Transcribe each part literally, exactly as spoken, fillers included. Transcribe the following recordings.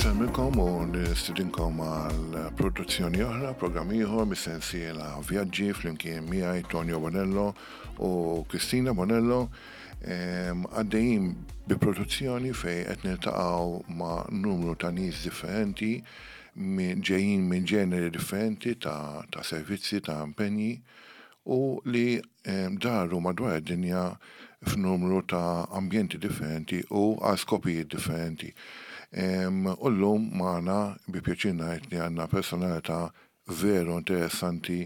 Insellmilkom u nistidinkom għal produzzjoni oħra, programm ieħor mis-sensiela Vjaġġi flimkien miegħi Tonio Bonello u Kristina Bonello. Għaddejjin bi produzzjoni fejn qed niltaqgħu ma' numru ta' nies differenti ġejjin minn ġeneri differenti ta', ta' servizzi, ta' impenji u li daru madwar id-dinja f'numru ta' ambjenti differenti u għal skopijiet differenti. U llum magħna bi pjaċir ngħid li għandna personalità veru interessanti,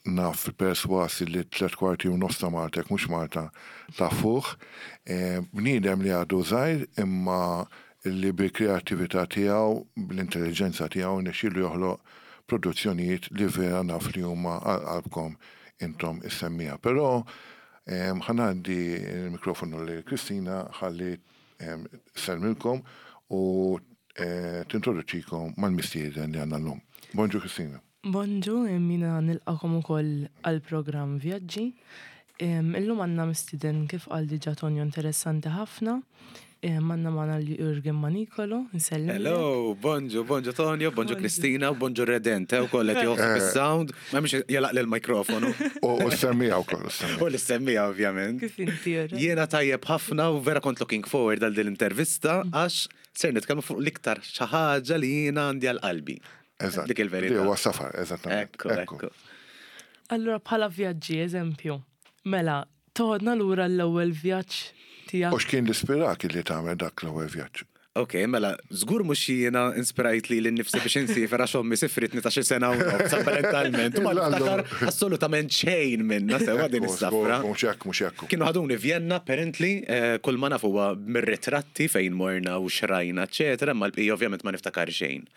naf perswas li tliet kwarti u nofs ta' Malta, mhux Malta, tafuh, bniedem li għadu żgħir imma li bil-kreattività tiegħu, bl-intelligenza tiegħu nexxielu joħloq produzzjonijiet li vera naf li huma għal qalbkom intom is-semmiegħa. Però ħa ngħaddi il-mikrofonu lil Kristina ħalli ssellmilkom u eh, tintroduċikom mal-mistieden li għandna llum. Bonġu, Kristina. Bonġu, jiena nilqagħkom ukoll għal-programm Vjaġġi. Illum għandna mistieden, kif qal diġà Tonio, interessanti ħafna. Għandna magħna Jurgen Manicolo, nsellem. Hello, bonġu, bonġu Tonio, bonġu Kristina, bonġu Redente, u kollet joħseb il-sound, ma mhux jalaq l-mikrofonu. U s-semmiegħa u koll. U l-semmiegħa, ovvjament. Kif inti, Jurgen? Jiena tajjeb ħafna u vera kont looking forward għal din l-intervista għax ser nitkellmu fuq l-iktar xi ħaġa li jiena għandi għal qalbi. Eżatt. Dik il-verità. Li huwa safar, eżattament. Ekku, ekku. Allura bħala vjaġġi, eżempju, mela, toħodna lura l-ewwel vjaġġ tiegħek. U x'kien l-ispirak li tagħmel dak l-ewwel vjaġġ? Ok, mela, żgur mhux jiena inspirajt lili nnifsi biex insiefer għax ommi sifritni ta' xi sena u nofs, apparentalment. U ma niftakar assolutament xejn minna sewa din is-safra. Mhux hekk, mhux hekk. Kienu ħaduni Vienna, apparently, eh, kull ma naf huwa mir-ritratti fejn morna u xrajna, eċetera, ma l-bqija ovvjament ma niftakar xejn.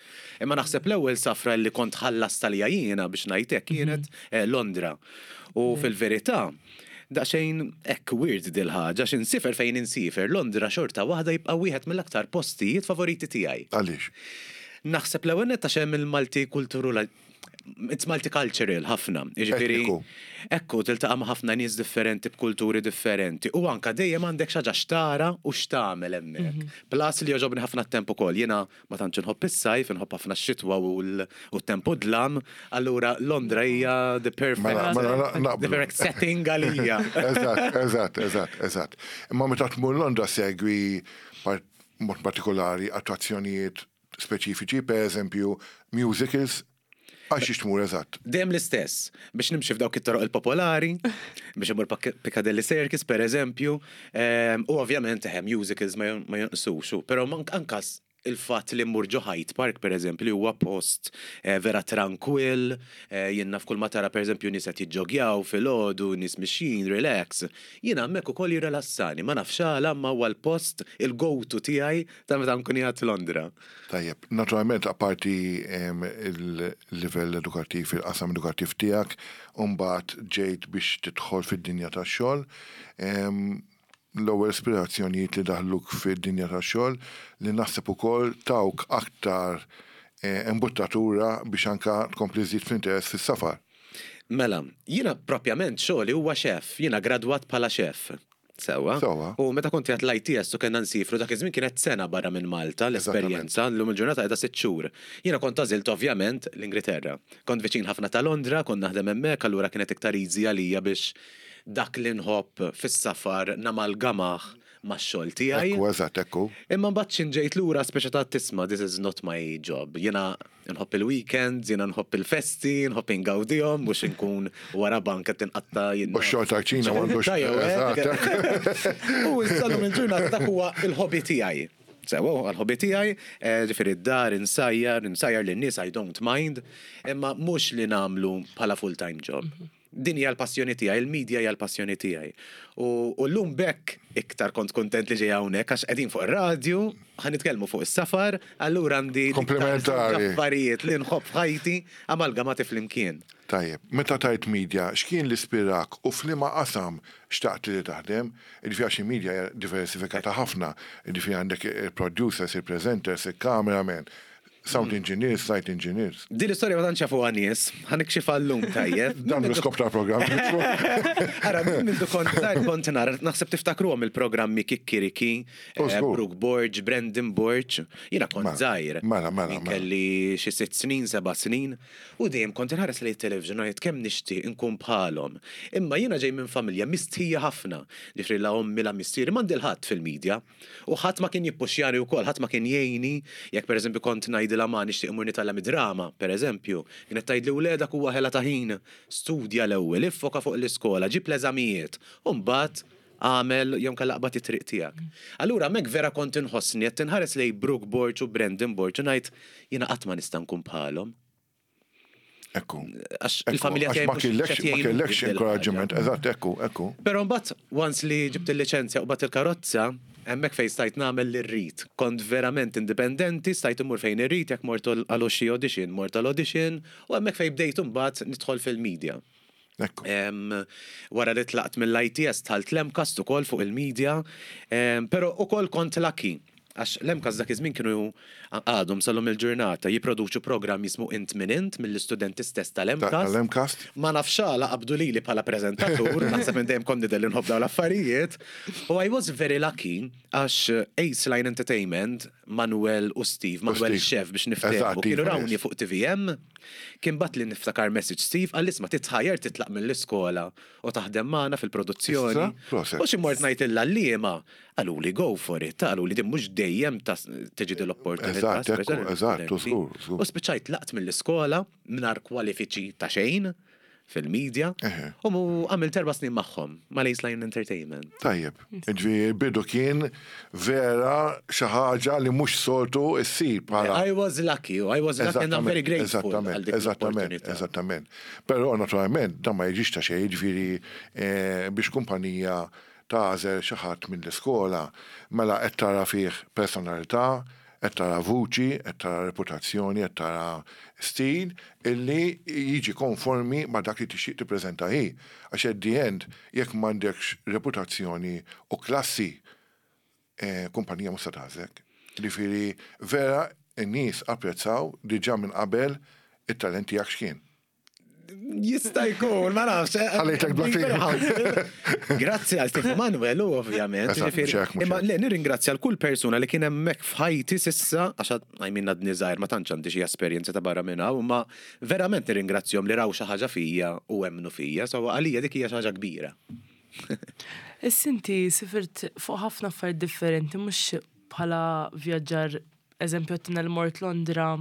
Imma naħseb l-ewwel safra li kont ħallast għalija jiena, biex ngħidlek, kienet eh, Londra. U fil-verità, daqsxejn hekk weird dil-ħaġa, x'insiefer fejn insiefer, Londra xorta waħda jibqa' wieħed mill-aktar postijiet favoriti tiegħi. Għaliex? Naħseb l-ewwel nett għax hemm il-multikultural, it's multicultural ħafna. Jiġifieri Etniku. Ekku, tiltaqa' ma' ħafna nies differenti b'kulturi differenti. U anka dejjem għandek xi ħaġa x'tara u x'tagħmel hemmhekk. Plus li jogħġobni ħafna t-temp ukoll. Jiena ma tantx inħobb is-sajf, inħobb ħafna x-xitwa u l- u t-temp u dlam. Allura Londra hija the perfect Mela, mela, the naqblu. perfect setting għalija. Eżatt, eżatt, eżatt, eżatt. Imma meta tmur Londra segwi par- mod partikolari attrazzjonijiet speċifiċi, per eżempju musicals, għax tmur eżatt? Dejjem l-istess, biex nimxi f'dawk it-toroq il-popolari, biex imur Pak- Piccadilly Circus, per eżempju, ehm, u ovvjament eħe, musicals ma jon- ma jonqsux, però mank ankas il-fatt li mmur ġo Hyde Park, per eżempju, li huwa post eh, vera tranquill, eh, jiena f'kull ma tara, per eżempju, nies qed jiġġogjaw filgħodu, nies mixjin, relax. Jiena hemmhekk ukoll jirrelassani, ma nafx għala, ma huwa l-post il-go-to tiegħi ta' meta nkun qiegħed Londra. Tajjeb, naturalment apparti em, il-livell edukattiv, il-qasam edukattiv tiegħek, mbagħad ġejt biex tidħol fid-dinja tax-xogħol. em, L-ewwel ispirazzjonijiet li daħluk fid-dinja tax-xogħol li naħseb ukoll tawk aktar eh, imbuttatura biex anka tkompli żżid fl-interess fis-safar. Mela, jiena propjament xogħli huwa chef, jiena gradwat bħala chef. Sewa. Sewa. U meta kont qiegħed l-I T S u kellna nsifru, dak iż-żmien kienet sena barra minn Malta l-esperjenza, llum il-ġurnata qiegħda sitt xhur. Jiena kont għażilt ovvjament l-Ingilterra. Kont viċin ħafna ta' Londra, kont naħdem hemmhekk, allura kienet iktar easy għalija biex dak li nħobb fis-safar namalgamah max-xogħol tiegħi. Ekku, eżatt, ekku. Imma mbagħad x'ħin ġejt lura speċa ta' tisma', this is not my job. Jiena nħobb il-weekends, jiena nħobb il-festi, nħobb ingawdihom, mhux inkun wara banka tinqatta jien. U x-xogħol tal-kċina m'għandux. Tajjew, Eżatt, U issa llum il-ġurnata dak huwa il-hobby tiegħi. Sewa, għal-hobby tiegħi, eh, ġifieri d-dar insajjar, insajjar lin-nies, I don't mind, imma mhux li nagħmlu bħala full-time job. Din hija l-passjoni tiegħi, il-media hija l-passjoni tiegħi. U u llum bekk iktar kont kontent li ġej hawnhekk għax qegħdin fuq ir-radju, ħa nitkellmu fuq is-safar, allura għandi iktar Komplementari. affarijiet li nħobb f'ħajti amalgamati flimkien. Tajjeb, meta tajt media, x'kien l-ispirak u f'liema qasam xtaqt li taħdem? Jiġifieri għax il-media hija diversifikata ħafna, jiġifieri għandek il-producers, il-presenters, il-cameraman, Sound engineers, light engineers. Din l-istorja ma tantx jafuha nies, ħa nikxifha llum, tajjeb. Dan l-iskop tal-programm. Ara, mindu kont żgħir kont nara, naħseb tiftakruhom il-programmi Kikkiriki, Oh, eh, żgur. Brooke Borg, Brandon Borg. Jiena kont Mela, żgħir. mela, mela, Jien mela. Kelli xi sitt snin, seba' snin, u dejjem kont inħares lejn television u ngħid kemm nixtieq inkun bħalhom. Imma jiena ġej minn familja mistħija ħafna. Ġifieri la ommi la missieri m'għandi l-ħadd fil-medja. U ħadd ma kien jippuxjani wkoll, ħadd ma kien jgħinni, jekk pereżempju kont ngħidilha ma nixtieq imur nitgħallem id-drama, pereżempju, kienet tgħidli wledak huwa ħela ta' ħin, studja l-ewwel, iffoka fuq l-iskola, ġib l-eżamijiet, u mbagħad għamel jew inkella aqbad it-triq tiegħek. Allura hemmhekk vera kont inħossni qed tinħares lejn Brooke Borg u Brandon Borg u ngħid jiena qatt ma nista' nkun bħalhom. Ekku. Għax Ekku, il-familja għax tiegħi ma mhux kellekx qed ma jgħinuni kellekx f'dil inkoraġġiment. ħaġa. Eżatt, ekku, ekku. Però mbagħad once li ġibt il-liċenzja u qbadt il-karozza, hemmhekk fejn stajt nagħmel li rrid. Kont verament indipendenti, stajt immur fejn irrid, jekk mort għal xi audition, mort għal audition, u hemmhekk fejn bdejt imbagħad nidħol fil-media. Ekku. Em, wara li tlaqt mill-I T S dħalt l-MCAST ukoll fuq il-media, em, pero ukoll kont lucky. Għax l-MCAST dak iż-żmien kienu għadhom sal-lum il-ġurnata jipproduċu programm jismu Int Min Int mill-istudenti stess tal-MCAST. Tal-MCAST? Ma nafx għala qabdu lili bħala prezentatur, naħseb minn dejjem kont nidher li nħobb dawn l-affarijiet. U I was very lucky għax Ace Line Entertainment, Manuel u Steve, Manuel Steve. Chef biex niftehmu, Eżatt, kienu Iva, rawni yes. fuq T V M, kien bagħatli niftakar message Steve, għal isma' titħajjar titlaq mill-iskola u taħdem magħna fil-produzzjoni. Issa, proset. U xi mort ngħid il-għalliema, qaluli go for it, qaluli din mhux dejjem ta' tiġi din l-opportunità. Eżatt, ekku, speċjalment eżatt, studenti. żgur, żgur. U spiċċajt tlaqt mill-iskola mingħajr kwalifiċi ta' xejn fil-medja Eħe. u mu għamilt erba' snin magħhom mal-Ace Line Entertainment. Tajjeb, ġifieri bidu kien vera xi ħaġa li mhux soltu issir bħala. I was lucky, I was lucky and I'm very grateful għal Eżattament, dik eżattament, l-opportunità. eżattament. Però naturalment dan ma jiġix ta' xejn, ġifieri eh, biex kumpanija tagħżel xi ħadd mill-iskola, mela qed tara fih personalità, qed tara vuċi, qed tara reputazzjoni, qed tara stil illi jiġi konformi ma' dak li tixtieq tippreżenta hi. Għax at the end, jekk m'għandekx reputazzjoni u klassi, eh, kumpanija mhux se tagħżlek. Ġifieri vera n-nies apprezzaw diġà minn qabel it-talent tiegħek x'kien. Jista' jkun, ma nafx. eh, Ħallejtek bla Very Grazzi għal Steve Manuel, u ovvjament. Eżatt, Ġifieri, mhux hekk, mhux Imma hekk. le, nirringrazzja l kull persuna li kien hemmhekk f'ħajti s'issa, għax għajmin għadni żgħir, ma tantx għandi xi esperjenza ta' barra minn hawn, imma verament nirringrazzjahom li raw xi ħaġa fija u emmnu fija, so għalija dik hija xi ħaġa kbira. Issa inti sifirt fuq ħafna affarijiet differenti, mhux bħala vjaġġar, eżempju għedtilna li mort Londra,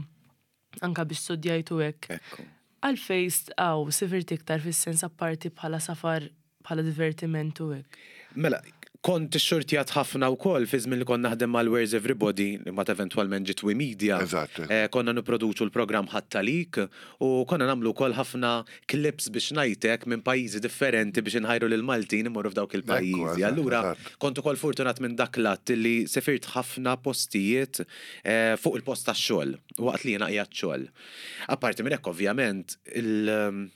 anka biex studjajtu hekk. Ekku. Għalfejn għaw sifirt iktar fis-sens apparti bħala safar, bħala divertiment u hekk? Mela, kont xxurtjat ħafna wkoll fi żmien li kont naħdem mal Where's Everybody, li ma eventwalment ġiet We Media. Eżatt. Eh, konna nipproduċu l-programm Ħattalik u konna nagħmlu wkoll ħafna clips biex ngħidlek minn pajjiżi differenti biex inħajru lil Maltin imorru f'dawk il-pajjiżi. eżatt, Allura eżatt. kont ukoll fortunat minn dak lat li sifirt ħafna postijiet eh, fuq il-post tax-xogħol waqt li jiena qiegħed xogħol. Apparti minn hekk ovvjament il-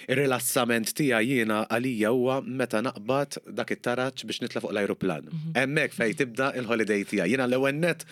Il-rilassament tiegħi jiena għalija huwa meta naqbad dak it-taraġ biex nitla' fuq l-ajruplan. Hemmhekk fejn tibda il-holiday tiegħi. Jiena l-ewwel net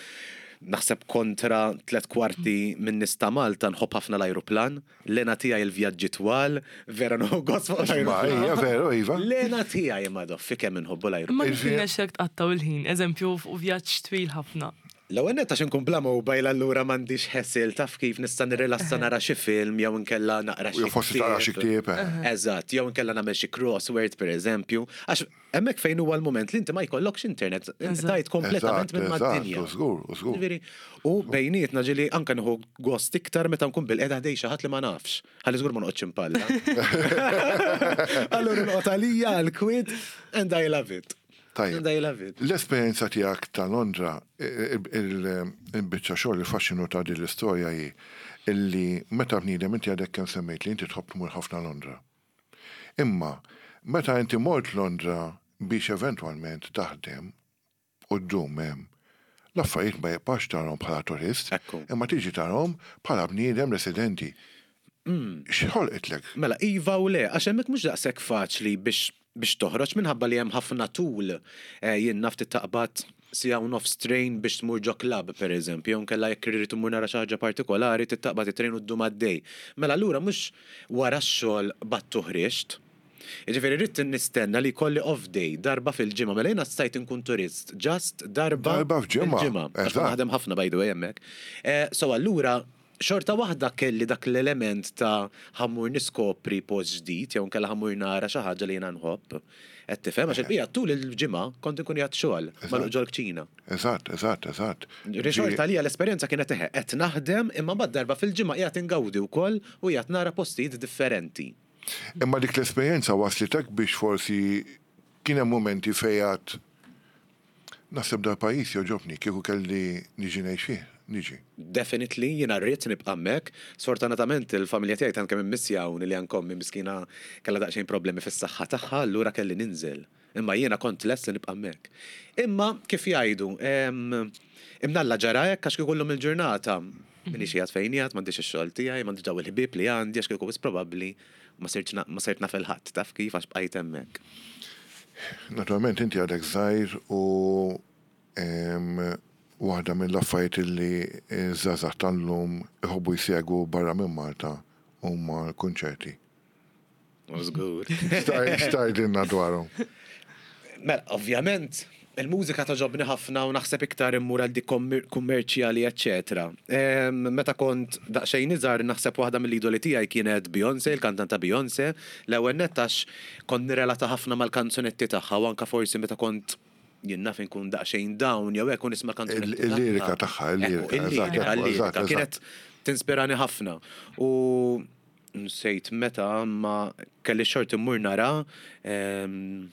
naħseb kontra tlet kwarti minn nies ta' Malta nħobb ħafna l-ajruplan, l-hena tiegħi il-vjaġġi twal, vera nieħu gost fuq Ma l-ajruplan. hija veru, iva. L-hena tiegħi madoffi kemm inħobbu l-ajruplan. Ma kif Il-vja- nexxek tqattaw il-ħin, eżempju fuq vjaġġ twil ħafna? L-ewwel nett għax inkun bla mobile allura m'għandix hassle, taf kif, nista' nirrilassa nara xi film jew inkella naqra xi Jew forsi taqra xi ktieb, eh. Eżatt, jew inkella nagħmel xi crossword pereżempju, għax hemmhekk fejn huwa l-mument li inti ma jkollokx internet, inti Eżatt. tajt kompletament Eżatt, minn eżatt, mad-dinja. u żgur, u żgur. Ġifieri, u bejnietna ġieli anka nieħu gost iktar meta nkun bilqiegħda ħdejn xi ħadd li ma nafx. Ħalli żgur ma noqgħodx impalla. Allura noqgħod għalija għal-kwiet and I love it. Tajjeb. And I love it. L-esperjenza tiegħek ta' Londra, il-biċċa xogħol, il-faxxinu ta' din l-istorja hi illi meta bniedem inti għadek kemm semmejt li inti tħobb tmur ħafna Londra. Imma meta inti mort Londra biex eventwalment taħdem u ddum hemm, l-affarijiet ma jibqax tarahom bħala turist, Ekku. imma tiġi tarahom bħala bniedem residenti. X'ħolqitlek? Mela, iva u le, għax hemmhekk mhux daqshekk faċli biex biex toħroġ minħabba li hemm ħafna tul. Eh, jien naf taqbad Siegħa u nofs train biex tmur ġo club, per eżempju, jew nkella jekk irrid imur nara xi ħaġa partikolari, taqbad it-train u ddum għaddej. Mela allura mhux wara x-xogħol battu ħriġt. Jiġifieri rrid nistenna li jkolli off day darba fil-ġimgħa, mela jiena stajt inkun turist, just darba Darba f'ġimgħa, fil-ġimgħa. Għax eżatt. naħdem ħafna, by the way, hemmhekk. Eh, So allura xorta waħda kelli dak l-element ta' ħa mmur niskopri post ġdid, jew nkella ħa mmur nara xi ħaġa li jiena nħobb. Qed tifhem, għax il-bija tul il-ġimgħa kont inkun qiegħed xogħol magħluq ġol-kċina. Eżatt, eżatt, eżatt. Xorta li l-esperjenza kienet eħe, qed naħdem imma bad darba fil-ġimgħa qiegħed ingawdi wkoll u qiegħed nara postijiet differenti. Imma dik l-esperjenza waslitek biex forsi kien hemm momenti fejn naħseb dal-pajjiż joġobni, kieku kelli niġi ngħix fih, niġi. Definitely, jiena rrid nibqa' hemmhekk. Sfortunatament il-familja tiegħi tant kemm immissjawni li anke ommi miskina kellha daqsxejn problemi fis-saħħa tagħha, allura kelli ninżel. Imma jiena kont lest li nibqa' hemmhekk. Imma kif jgħidu, em, imnalla ġara hekk għax kieku llum il-ġurnata minix qiegħed fejn qiegħed, m'għandix ix-xogħol tiegħi, m'għandix daw il-ħbieb li għandi, għax kieku wis probabbli ma sirtx na- ma sirt naf il-ħadd, taf kif, għax bqajt hemmhekk. Naturalment inti għadek żgħir u em, waħda mill-affarijiet li żgħażagħ tal-lum iħobbu jsegwu barra minn Malta huma l-kunċerti. Żgur. X'tgħidilna dwarhom? Mela, ovvjament, il-mużika togħġobni ħafna u naħseb iktar immur għal dik kommer- kummerċjali, eccetera. Em, Meta kont daqsxejn iżgħar, naħseb waħda mill-idoli tiegħi kienet Beyoncé, il-kantanta Beyoncé. L-ewwel nett għax kont nirrelata ħafna mal-kanzunetti tagħha u anka forsi meta kont jien naf inkun daqsxejn down jew hekk u nisma' kanzunetti Il- Il-lirika tagħha, il-lirika, Ekku, il-lirika, eżatt, ekku, il-lirika. eżatt, eżatt. Kienet tinspirani ħafna. U nsejt meta ma kelli xort immur nara em,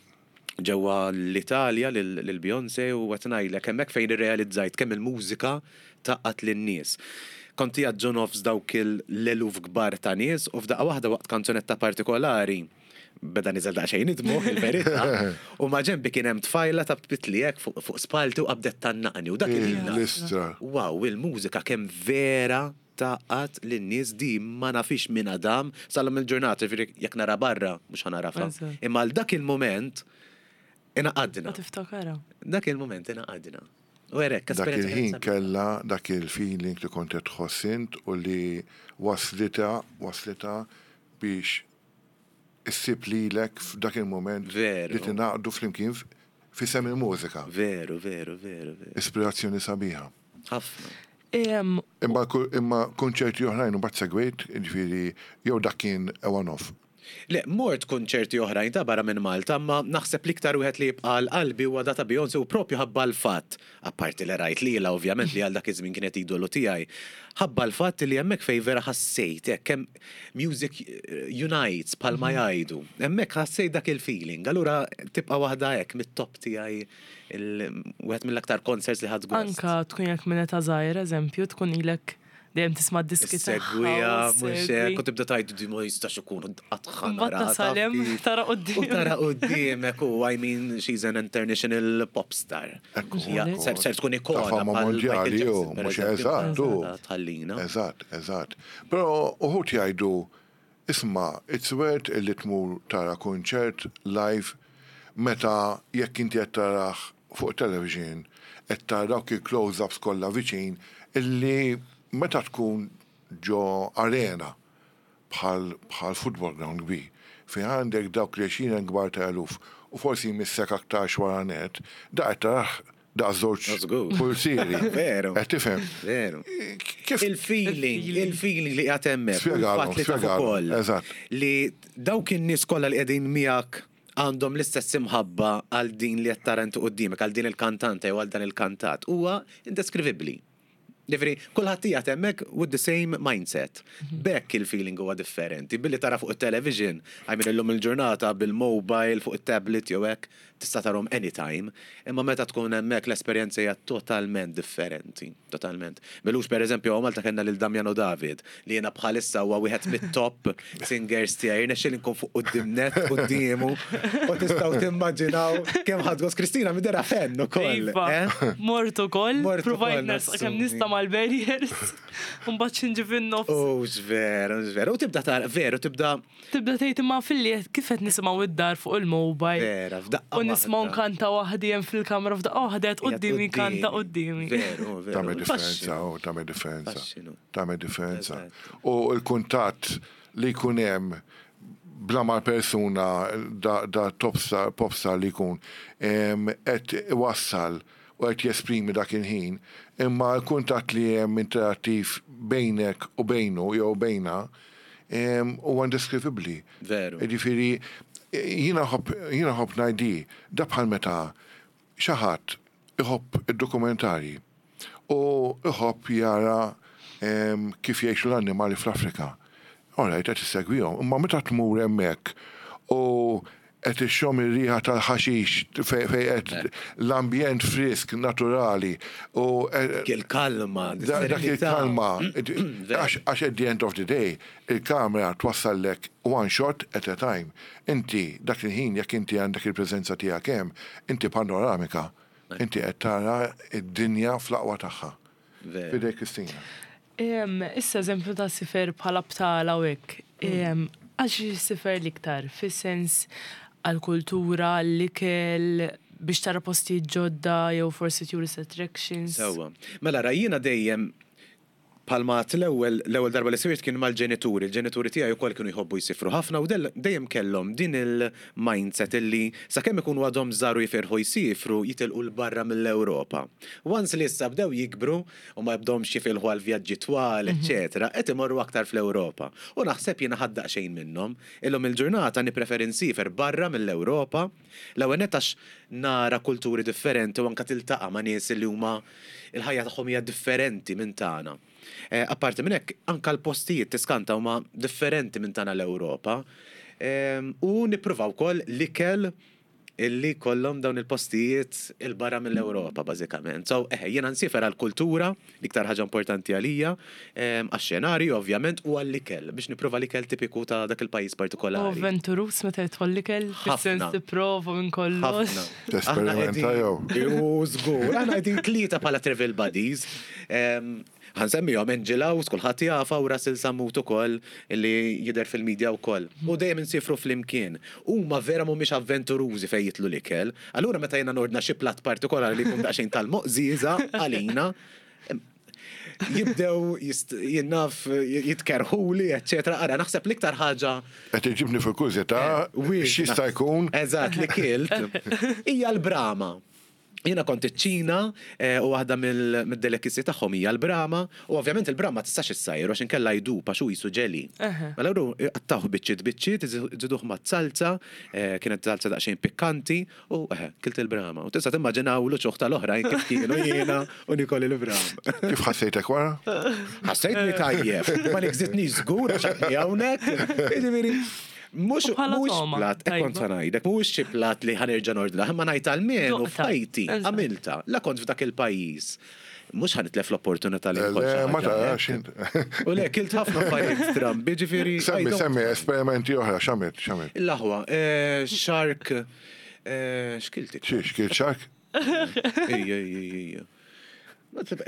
ġewwa l-Italja lil lil Beyoncé u qed ngħidlek hemmhekk fejn irrealizzajt kemm il-mużika tgħaqqad lin-nies. Kont qiegħed ġo nofs dawk l-eluf kbar ta' nies u f'daqqa waħda waqt kanzunetta partikolari beda niżel daqsxejn id-dmugħ, il-verità, u ma ġenbi kien hemm tfajla ta' bitli hekk fuq fuq spalti u qabdet tgħannaqni u dak il-ħin. L-istra. Wow, il-mużika kemm vera tgħaqqad lin-nies, di ma nafix minn Adam sal-lum il-ġurnata, ġifieri jekk nara barra, mhux ħa nagħrafha. Eżatt. Imma għal dak il-moment ingħaqadna. Ma tiftakara. Dak il-moment ingħaqadna. U hekk, Dak il-ħin kella dak il-feeling li kont qed tħoss int u li waslita, waslita biex issib lilek f'dak il-moment Veru. li tingħaqdu flimkien f'isem il-mużika. Veru, veru, veru, veru. Ispirazzjoni sabiħa. Ħafna. Em, Imma ku- imma konċerti oħrajn u bat segwejt, ġifieri, jew dak kien a one-off. Le, mort konċerti oħrajn ta' barra minn Malta, ma naħseb l-iktar wieħed li jibqa' għal qalbi huwa dak ta' Beyoncé u propju ħabba l-fatt, apparti li rajt lilha ovvjament li għal dak iż-żmien kienet idolu tiegħi, ħabba l-fatt li hemmhekk fejn vera ħassejt hekk kemm music unites bħalma jgħidu. Hemmhekk ħassejt dak il-feeling. Allura tibqa' waħda hekk mit-top tiegħi, il- wieħed mill-aktar concerts li ħadt gost. Anka tkun jekk minn età żgħira, eżempju, tkun ilek dejjem tisma' diski tagħha. Segwija, u mhux segwi. hekk, u tibda tgħid di ma jistax ikun qatt Mbagħad tasal hemm, tara quddiem. U tara quddiemek u I mean, she's an international pop star. Ekku, Hija ekku. Ser ser tkun ikona Ta' fama bħal Michael mondjali, Jackson, ju, per mhux eżempju, eżatt, u. Tħallina. Eżatt, eżatt. Però uħud jgħidu, isma', it's worth illi tmur tara konċert live meta jekk inti qed tarah fuq television, qed tara dawk il-close-ups kollha viċin illi meta tkun ġo arena bħal bħal football ground kbir, fejn għandek dawk li għexieren kbar ta' eluf u forsi jmissek aktar wara net, da qed tarah da' żewġ Żgur. pulsieri. Veru. Qed tifhem. Veru. Kif Il-feeling, il-feeling li qiegħed hemmhekk. u Spjegalhom, l-fatt li taf spjegalhom, ukoll eżatt. li dawk in-nies kollha li qegħdin miegħek għandhom l-istess imħabba għal din li qed tara inti quddiemek, għal din il-kantanta jew għal dan il-kantat, huwa indeskrivibbli. Ġifieri, kulħadd qiegħed hemmhekk with the same mindset. B'hekk il-feeling huwa differenti. Billi tara fuq it-television, I mean illum il-ġurnata bil-mobile, fuq it-tablet jew hekk, tista' tarhom anytime. Imma meta tkun hemmhekk l-esperjenza hija totalment differenti. Totalment. M'ilux, per eżempju, hawn Malta kellna lil Damiano David, li jiena bħalissa huwa wieħed mit-top singers tiegħi. Irnexxieli nkun fuq quddiem nett quddiemu u tistgħu timmaġinaw kemm ħadt gost. Kristina midera fan ukoll. Iva, eh? mort ukoll, Mort provajt ukoll, nersaq kemm nassumi. nista' mal-barriers, u mbagħad xinġi fin-nofs. Oh, veru, veru. U tibda tara, veru, tibda Tibda tgħid imma filli kif qed nisimgħu id-dar fuq il-mobile. Vera, f'daqqa U waħda. Nisma' waħda. nkanta waħdi hemm fil-kamra f'daqqa waħda qed quddiemi kanta quddiemi. Veru, veru. Tagħmel differenza, oh, tagħmel differenza. Faxxinu. Tagħmel differenza. Eżatt. U l-kuntatt li jkun hemm bla ma persuna da, da top star, pop star li jkun em, qed iwassal u qed jesprimi dak il-ħin, imma l-kuntatt li hemm interattiv bejnek u bejnu jew bejna em, huwa indescrivibli. Veru. Ġifieri, jiena nħobb jiena nħobb ngħidi, da bħal meta xi ħadd iħobb id-dokumentari u iħobb jara em, kif jgħixu l-annimali fl-Afrika. Alright, qed issegwihom, imma meta tmur hemmhekk u qed ixxomm ir-riħa tal-ħaxix fej fej qed l-ambjent frisk naturali u Dik il-kalma, Da- dak il-kalma, għax għax at the end of the day, il-kamera twassallek one shot at a time. Inti, dak il-ħin, jekk inti għandek il-preżenza tiegħek hemm, inti panoramika, inti qed tara id-dinja fl-aqwa tagħha. Veru. Fidejk Kristina. Em, Issa eżempju ta' sifer bħala btala u hekk. Em, Għax sifer l-iktar, fis-sens għal-kultura, l-ikel, biex tara postijiet ġodda jew forsi tourist attractions. Sewwa. Mela rajjina dejjem palma l-ewwel l-ewwel darba li sifirt kien mal-ġenituri. Il-ġenituri tiegħi wkoll kienu jħobbu jsifru ħafna u del- dejjem kellhom din il-mindset illi sakemm ikunu għadhom żgħar u jifirħu jsifru jitilqu 'l barra mill-Ewropa. Once li issa bdew jikbru u ma jibdomx jifilħu għal vjaġġi twal, eċetera, qed imorru aktar fl-Ewropa. U naħseb jiena ħadt daqsxejn minnhom. Illum il-ġurnata nippreferi nsifer barra mill-Ewropa. L-ewwel nett għax nara kulturi differenti u anka tiltaqa' ma' nies li huma il-ħajja tagħhom hija differenti minn tagħna. Eh, Apparti minn hekk, anka l-postijiet tiskanta huma differenti minn tagħna l-Ewropa. Em, U nippruvaw ukoll l-ikel illi kollhom dawn il-postijiet il-barra mill-Ewropa, bażikament. So, eħe, jiena nsifer għal-kultura, l-iktar ħaġa importanti għalija, em, għax-xenarju, ovvjament, u għall-ikel, biex nipprova l-ikel tipiku ta' dak il-pajjiż U partikolari. avventurus meta jidħol l-ikel, fis-sens Ħafna. tipprova minn kollox. Ħafna. Tesperimenta Aħna jew? qegħdin- Ju, żgur. Aħna qegħdin tlieta bħala travel buddies. Em, Ħa nsemmihom Angela u kulħadd jafa u Russell Sammut ukoll illi jidher fil-medja wkoll. U dejjem insifru flimkien. Huma vera mhumiex avventurużi fejn jidħlu l-ikel. Allura meta jiena nordna xi platt partikolari li jkun daqsxejn tal-moqżieża għalina, em, jibdew jist- jinnaf jitkerħuli, eccetera. Ara, naħseb l-iktar ħaġa Qed iġibni fil-kurżità Weird. x'jista' jkun Eżatt, li kilt. Hija l-brama. Jiena kont iċ-Ċina eh, u waħda mill- mid-delicacy tagħhom hija l-brama u ovvjament il-brama tistax issajru għax inkella jdub għax hu qisu ġeli. Mela ru qattawh biċċiet biċċiet, iżiduh ma' salza, eh, kienet salza daqsxejn pikkanti u eh, kilt il-brama. U tista' timmaġinaw l-uċuħ tal-oħrajn kif kienu jiena u nikol il-brama. kif ħassejtek wara? Ħassejtni tajjeb, ma nikżitni żgur għax għadni hawnhekk. Jiġifieri, Mux, U bħala mux toma, plat, tajba. kont ngħidlek, mux xi plat li ħa nerġa' nordna, imma ngħid għalmenu Duqta. f'ħajti, Eżatt. għamilta, la kont f'dak il-pajjiż. Mux ħa nitlef l-opportunità li Le, nkol xi ma ħaġa tarax hekk. int. U le, kilt ħafna affarijiet strambi, ġifieri. I Semmi, don't- semmi, esperimenti oħra, x'għamilt, x'għamilt. Il-laħwa, eh, shark, eh, x'kilt iktar? Xiex, kilt shark? Ejja, ejja, ejja.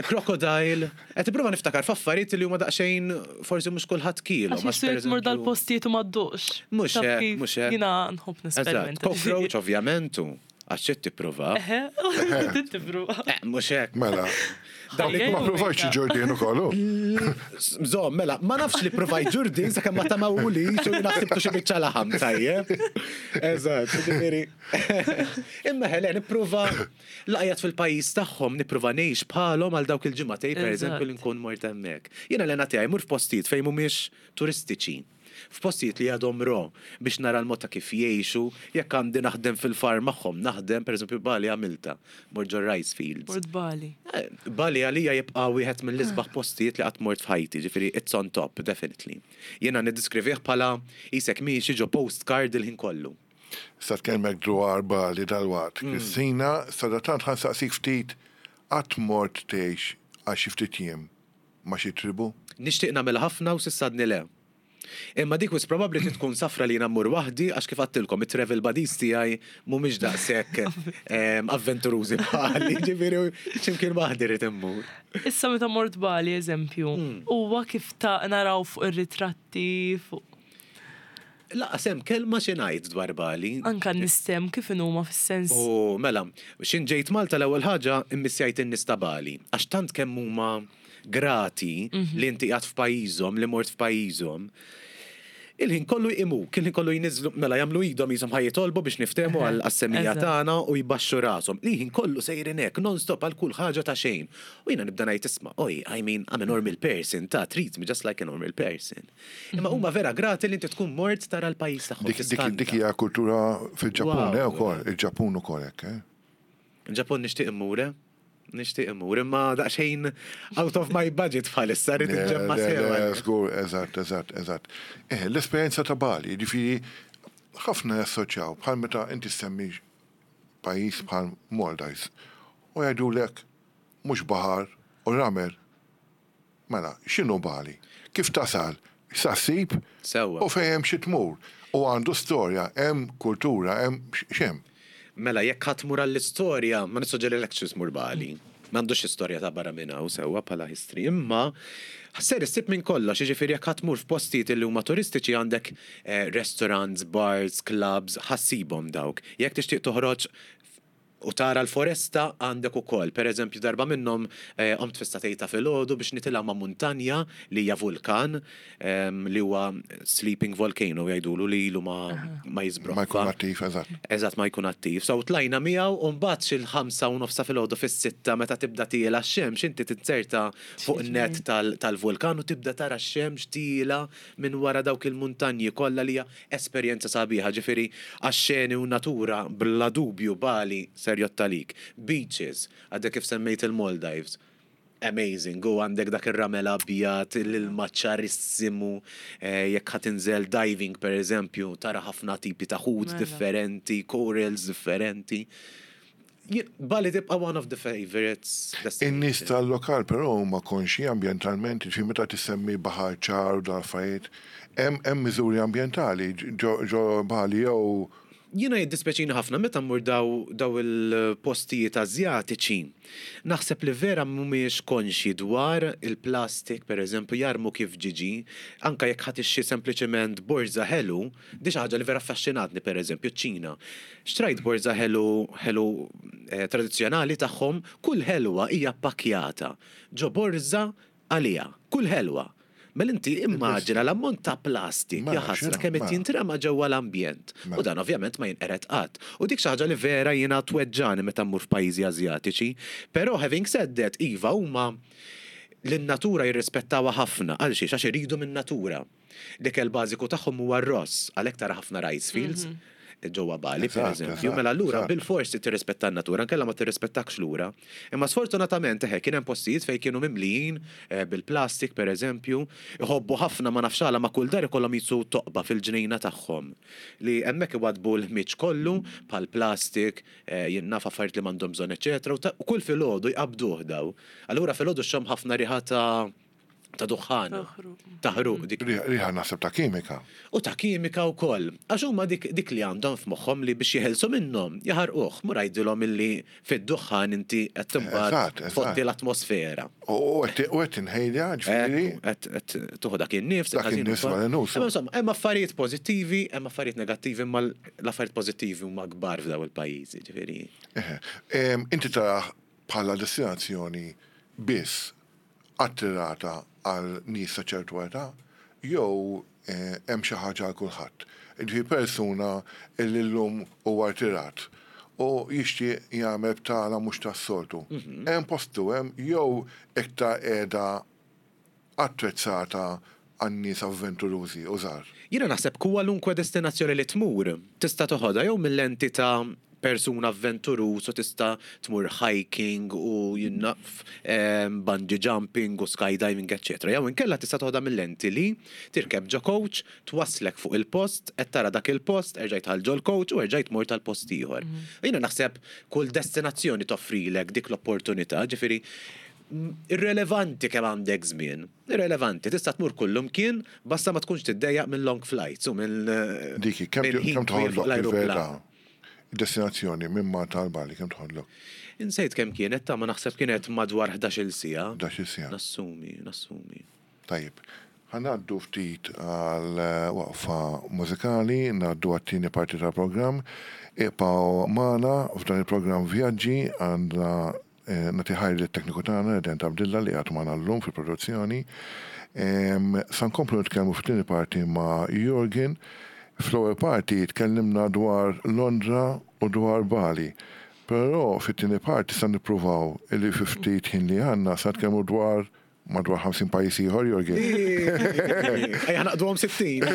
Crocodile. Qed tipprova niftakar f'affarijiet li huma daqsxejn forsi mhux kulħadd kielhom. Għax jisu jtmur dal-postijiet u ma dduqx. Mhux Taf hekk, kif? mhux hekk. Jiena nħobb Eżatt, nesperimenta. cockroach ovvjament u għax xi tipprova. Eħe, tipprova. Eh, mhux hekk. Mela. Dawn li Ma provajtx ġurdien ukoll. Zom, mela, ma nafx li provajt ġurdin sakemm ma tamawuli, xu naħsibtu xi biċċa laħam tajjeb. Eżatt, ġifieri. Imma ħele, nipprova laqjat fil-pajjiż tagħhom, nipprova ngħix bħalhom għal dawk il-ġimgħatej, pereżempju, li nkun mort hemmhekk. Jiena l tiegħi mur f'postijiet fejn mhumiex turistiċi. F'postijiet li għadhom ro biex nara l-mod ta' kif jgħixu, jekk għandi naħdem fil-farm magħhom, naħdem pereżempju Bali għamilta, mort ġo rice fields. Mort Bali. Eh, Bali għalija jibqa' wieħed mill-isbaħ postijiet li qatt mort f'ħajti, ġifieri it's on top, definitely. Jiena niddiskrivih bħala qisek miexi ġo postcard il-ħin kollu. Sa tkellmek dwar Bali dal-waqt. Mm. Kristina, sadattant ħa nsaqsik ftit qatt mort tgħix għal xi ftit jiem ma' xi tribu? Nixtieq nagħmel ħafna u s'issa għadni le. Imma dik wis probabbli trid tkun safra li jiena mmur waħdi għax kif għedtilkom it-travel buddies tiegħi mhumiex daqshekk em, avventurużi bħali, ġifieri x'imkien waħdi rrid immur. Issa meta mort Bali, eżempju, Hmm. huwa kif ta' naraw fuq ir-ritratti, fuq. Lanqas hemm kelma xi ngħid dwar Bali. Anka nistem kif huma fis-sens. U mela, x'ħin ġejt Malta, l-ewwel ħaġa immissjajt in-nies ta' Bali. Għax tant kemm huma grati li inti qiegħed f'pajjiżhom, li mort f'pajjiżhom. Il-ħin kollu jqimuk, il-ħin kollu jniżlu, mela jagħmlu idhom qishom ħa jitolbu biex niftehmu għal għas-semija Eżatt. tagħna u jbaxxu rashom. Il-ħin kollu sejrin hekk non-stop għal kull ħaġa ta' xejn. U jiena nibda ngħid, "Isma', oj, I mean, I'm a normal person, ta' treat me just like a normal person." Imma huma vera grati li inti tkun mort tara l-pajjiż tagħhom. Dik dik tiskanta. dik hija kultura fil-Ġappun, Wow. eh, ukoll, il-Ġappun ukoll hekk, eh? Ġappun nixtieq immur, eh? Nixtieq immur, imma daqsxejn out of my budget bħalissa, rrid Le, inġemma le, sewa. le, żgur, eżatt, eżatt, eżatt. Eh, l-esperjenza ta' Bali, ġifieri, ħafna jassoċjaw, bħal meta inti semmi pajjiż bħal Maldives, u jgħidulek mhux baħar u ramel. Mela, x'inhu Bali? Kif tasal? Sa ssib? Sewwa. U fejn hemm xi tmur. U għandu storja, hemm kultura, hemm x'hemm. Mela, jekk ħa tmur għall-istorja, ma nissuġġerilekx tmur Bali. M'għandux istorja ta' barra minn hawn sewwa bħala history. Imma ser issib minn kollox, jiġifieri jekk ħa tmur f'postijiet li huma turistiċi għandek eh, restaurants, bars, clubs, ħa ssibhom dawk. Jekk tixtieq toħroġ u tara l-foresta, għandek ukoll. Per eżempju, darba minnhom eh, qomt fis-sagħtejn ta' filgħodu biex nitilgħu ma' muntanja li hija vulkan em, li huwa sleeping volcano jgħidulu, li ilu ma, ma jiżbroffa. Ma jkun attiv, eżatt. Eżatt, ma jkun attiv. So tlajna miegħu u mbagħad xil-ħamsa u nofsa filgħodu, fis-sitta, meta tibda tiela x-xemx, inti tinzerta fuq nett tal- tal-vulkan u tibda tara x-xemx tiela minn wara dawk il-muntanji kollha, li hija esperjenza sabiħa. Ġifieri għax-xeni u natura, bla dubju Bali ser jottalik. Beaches, għadek kif semmejt il-Maldives. Amazing, u għandek dak ir-ramel abjad, l-ilma ċarissimu, eh, jekk ħa tinżel diving, per eżempju, tara ħafna tipi ta' ħut Mela. differenti, corals differenti. Jien- Bali tibqa' one of the favorites. In-nies tal-lokal però huma konxi ambjentalment, ġifieri meta tissemmi baħar ċar u dal-affarijiet, hemm hemm miżuri ambjentali ġo ġo Bali jew Jiena jiddispeċini ħafna meta mmur daw, daw il-postijiet Azjatiċi. Naħseb li vera mhumiex konxi dwar il-plastik, per eżempju, jarmu kif ġiġi, anka jekk ħa tixtri sempliċement borza ħelu, di xi ħaġa li vera affaxxinatni, per eżempju, ċina. Xtrajt borza ħelu ħelu eh, tradizzjonali tagħhom, kull ħelwa hija pakkjata ġo borza għalija, kull ħelwa. Mela inti immaġina l-ammont ta' plastik, Mela, jaħasra, x'inhu, kemm qed mela. jintrema ġewwa l-ambjent. Mela. U dan ovvjament ma jinqered qatt. U dik xi ħaġa li vera jiena tweġġani meta mmur f'pajjiżi Azjatiċi. Però having said that, iva, huma l-natura jirrispettawha ħafna. Għal xiex? Għax iridu minn natura. L-ikel bażiku tagħhom huwa r-ross, għalhekk tara ħafna rice fields ġewwa Bali, per Eżatt, eżempju. eżatt, Mela allura eżatt. bil-forsi tirrispetta n-natura, nkella ma tirrispettakx lura. Imma sfortunatament eħe kien hemm postijiet fejn kienu mimlijin eh, bil-plastik, per eżempju, iħobbu ħafna, ma nafx għala, ma kull dar ikollhom qisu toqba fil-ġnejna tagħhom li hemmhekk iwadbu l-ħmiġ kollu bħal plastik, eh, jien naf, affarijiet li m'għandhom bżonn, eċetera, u ta- u kull filgħodu jqabduh daw. Allura filgħodu xxomm ħafna riħa ta' ta' duħħan. Taħruq. Taħruq dik. Riħa riħa naħseb ta' kimika. U ta' kimika u koll. Għax huma dik, dik li għandhom f'moħħom li biex jeħelsu minnhom, jaħarquh, mur għidilhom illi fid-duħħan inti qed timbagħad Eżatt, eżatt. tfotti l-atmosfera. U qed u qed inħejja, ġifieri. Qed qed tuħu dak in-nifs, Dak il-ħażin in-nifs ukoll. wara nus. Imma insomma, hemm affarijiet pożittivi, hemm affarijiet negattivi, imma l-affarijiet pożittivi huma kbar f'daw il-pajjiżi, ġifieri. Eħe. Em, Inti taraħ bħala destinazzjoni biss attirata għal nies ta' ċertu età jew eh, hemm xi ħaġa għal kulħadd? Ġifieri persuna li llum huwa rtirat u jixtieq jagħmel btala mhux tas-soltu. Hemm postu hemm jew iktar qiegħda attrezzata għan-nies avventurużi u żgħar? Jiena naħseb kwalunkwe destinazzjoni li tmur tista' toħodha jew mill-lenti ta' persuna avventuruż u tista' tmur hiking u jien naf em, bungee jumping u skydiving, eċċetera. Jew inkella tista' toħodha mill-lenti li tirkeb ġo coach, twaslek fuq il-post, qed tara dak il-post, erġajt ħal ġol coach u erġajt mur tal-post ieħor. Jiena naħseb kull destinazzjoni toffrilek dik l-opportunità, ġifieri mm, irrelevanti kemm għandek żmien. Irrelevanti, tista' tmur kullum kien, basta ma tkunx tiddejjaq minn long flights u minn eh, Diki, kemm minn ħin kemm twil fuq toħodlok l-ajruplan. fil-verità? Destinazzjoni minn Malta għal Bali kemm toħodlok? Insejt kemm kienet, ta' ma naħseb kienet madwar ħdax-il siegħa. ħdax-il siegħa. Nassumi, nassumi. Tajjeb. Ħa ngħaddu ftit għal eh, waqfa mużikali, ngħaddu għat-tieni parti tal-programm. Ibqgħu magħna f'dan il-programm Vjaġġi. Għandna eh, nagħti ħajr lit-tekniku tagħna Eden Tabdilla li għad magħna llum fil-produzzjoni. Em, Sa nkomplu nitkellmu fit-tieni parti ma' Jurgen. Fl-ewwel parti tkellimna dwar Londra u dwar Bali. Però fit-tieni parti sa nippruvaw illi fi ftit ħin li għandna sa nitkellmu dwar madwar ħamsin pajjiż ieħor, Jurgen. Ejja naqduhom sittin.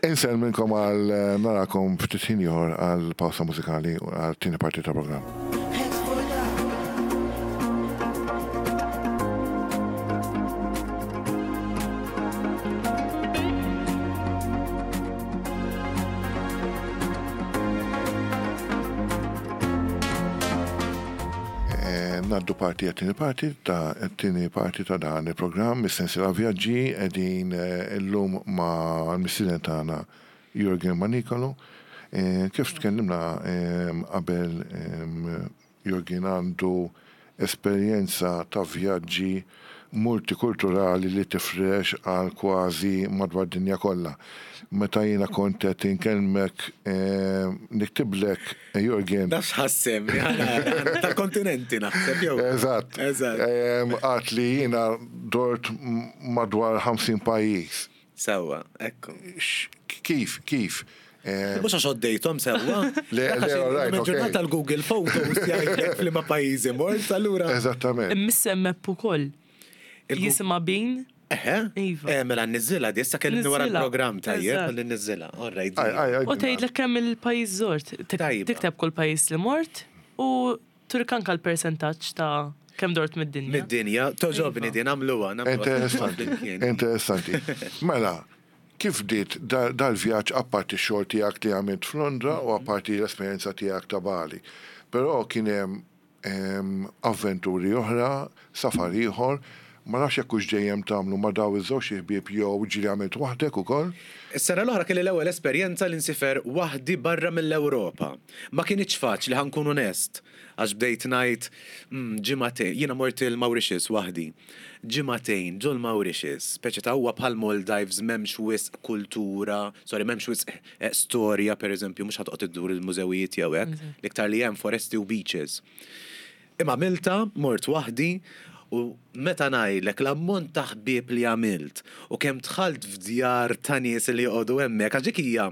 Insellmilkom għal eh, narakom ftit ħin ieħor għal pawsa mużikali u għal tieni parti ta' programm. Heads for love. Eh, Ngħaddu parti għat-tieni parti ta' t-tieni parti ta' dan il-programm, is-sensiela vjaġġi, qegħdin eh, illum ma' l-mistieden tagħna Jurgen Manicolo. Eh, Kif tkellimna eh, qabel, eh, Jurgen għandu esperjenza ta' vjaġġi multikulturali li tifrex għal kważi madwar dinja kollha. Meta jiena kont qed inkellmek eh, niktiblek eh, Jurgen. Nafx ħassem, tal-kontinenti naħseb jew. Eżatt. Eżatt. Em, Għedt li jiena dort m- madwar ħamsin pajjiż. Sewwa, ekku. X- Kif, kif? Em, Mhux għax għoddejthom sewwa. Le, le, all right, okay. Ġurnata l-Google Photos jgħidlek f'liema pajjiżi mort, allura. Eżattament. Imma map ukoll. Il-Gu- Jisimha Been. Eħe. Iva. Eh, mela nniżżilha di, issa kellimni wara Niżżilha. l-programm tajjeb, Eżatt. ħalli nniżżilha. All right. Aj, aj, aj. U tgħidlek kemm il-pajjiż żort. Tik- Tajba. Tikteb kull pajjiż li mort u turik anka l-percentaġġ ta' kemm dort mid-dinja. Mid-dinja, togħġobni Iva. din, għamluha. nagħmluha. Interessanti, interessanti. Mela, kif bdiet da- dal-vjaġġ apparti x-xogħol tiegħek li għamilt f'Londra u apparti l-esperjenza tiegħek ta' Bali? Però kien hemm em, avventuri oħra, safar ieħor, ma nafx jekk hux dejjem tagħmlu ma' daw iż-żewġ ħbieb jew ġieli għamilt waħdek ukoll. Is-sena l-oħra kelli l-ewwel esperjenza li nsifer waħdi barra mill-Ewropa. Ma kienx faċli, ħa nkun onest, għax bdejt ngħid mm, ġimagħtejn, jiena mort il-Mauritius waħdi. Ġimagħtejn ġol Mauritius, speċi ta' huwa bħal Maldives, m'hemmx wisq kultura, sorry, m'hemmx wisq eh, storja pereżempju, mhux ħa toqgħod iddur il-mużewijiet jew hekk, l-iktar li hemm foresti u beaches. Imma għamiltha, mort waħdi, u meta ngħidlek l-ammont ta' ħbieb li għamilt u kemm dħalt f'djar ta' nies li joqogħdu hemmhekk, għax dik hija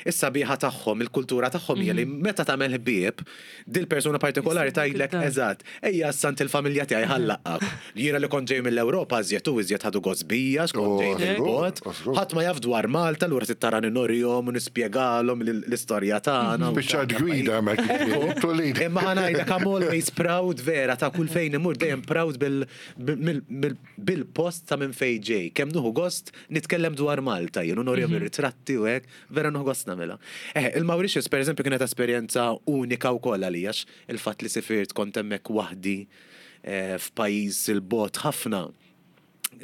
is-sabiħa tagħhom, il-kultura tagħhom hija li meta tagħmel ħbieb, dil-persuna partikolari Jistednek tgħidlek id-dar. eżatt, ejja għand il-familja tiegħi ħa nlaqqgħek. Jiena li kont ġej mill-Ewropa iżjed u iżjed ħadu gost bija, x'kont Oh, ġej żgur, mill-bogħod. żgur. Ħadd ma jaf dwar Malta, allura tittarani nurihom u nispjegalhom l-istorja tagħna. u Spiċċat gwida hemmhekk. Tulid. Imma ħa ngħidlek, I'm always proud vera ta' kull fejn imur, dejjem proud bil- bil- bil- bil-post ta' minn fejn ġej. Kemm nieħu gost nitkellem dwar Malta, jien u nurihom ir-ritratti u hekk, vera nieħu gost nagħmilha. Eh, il-Mauritius per eżempju kienet esperjenza unika wkoll għalija għax il-fatt li sifirt kont hemmhekk waħdi eh, f'pajjiż il-bogħod ħafna.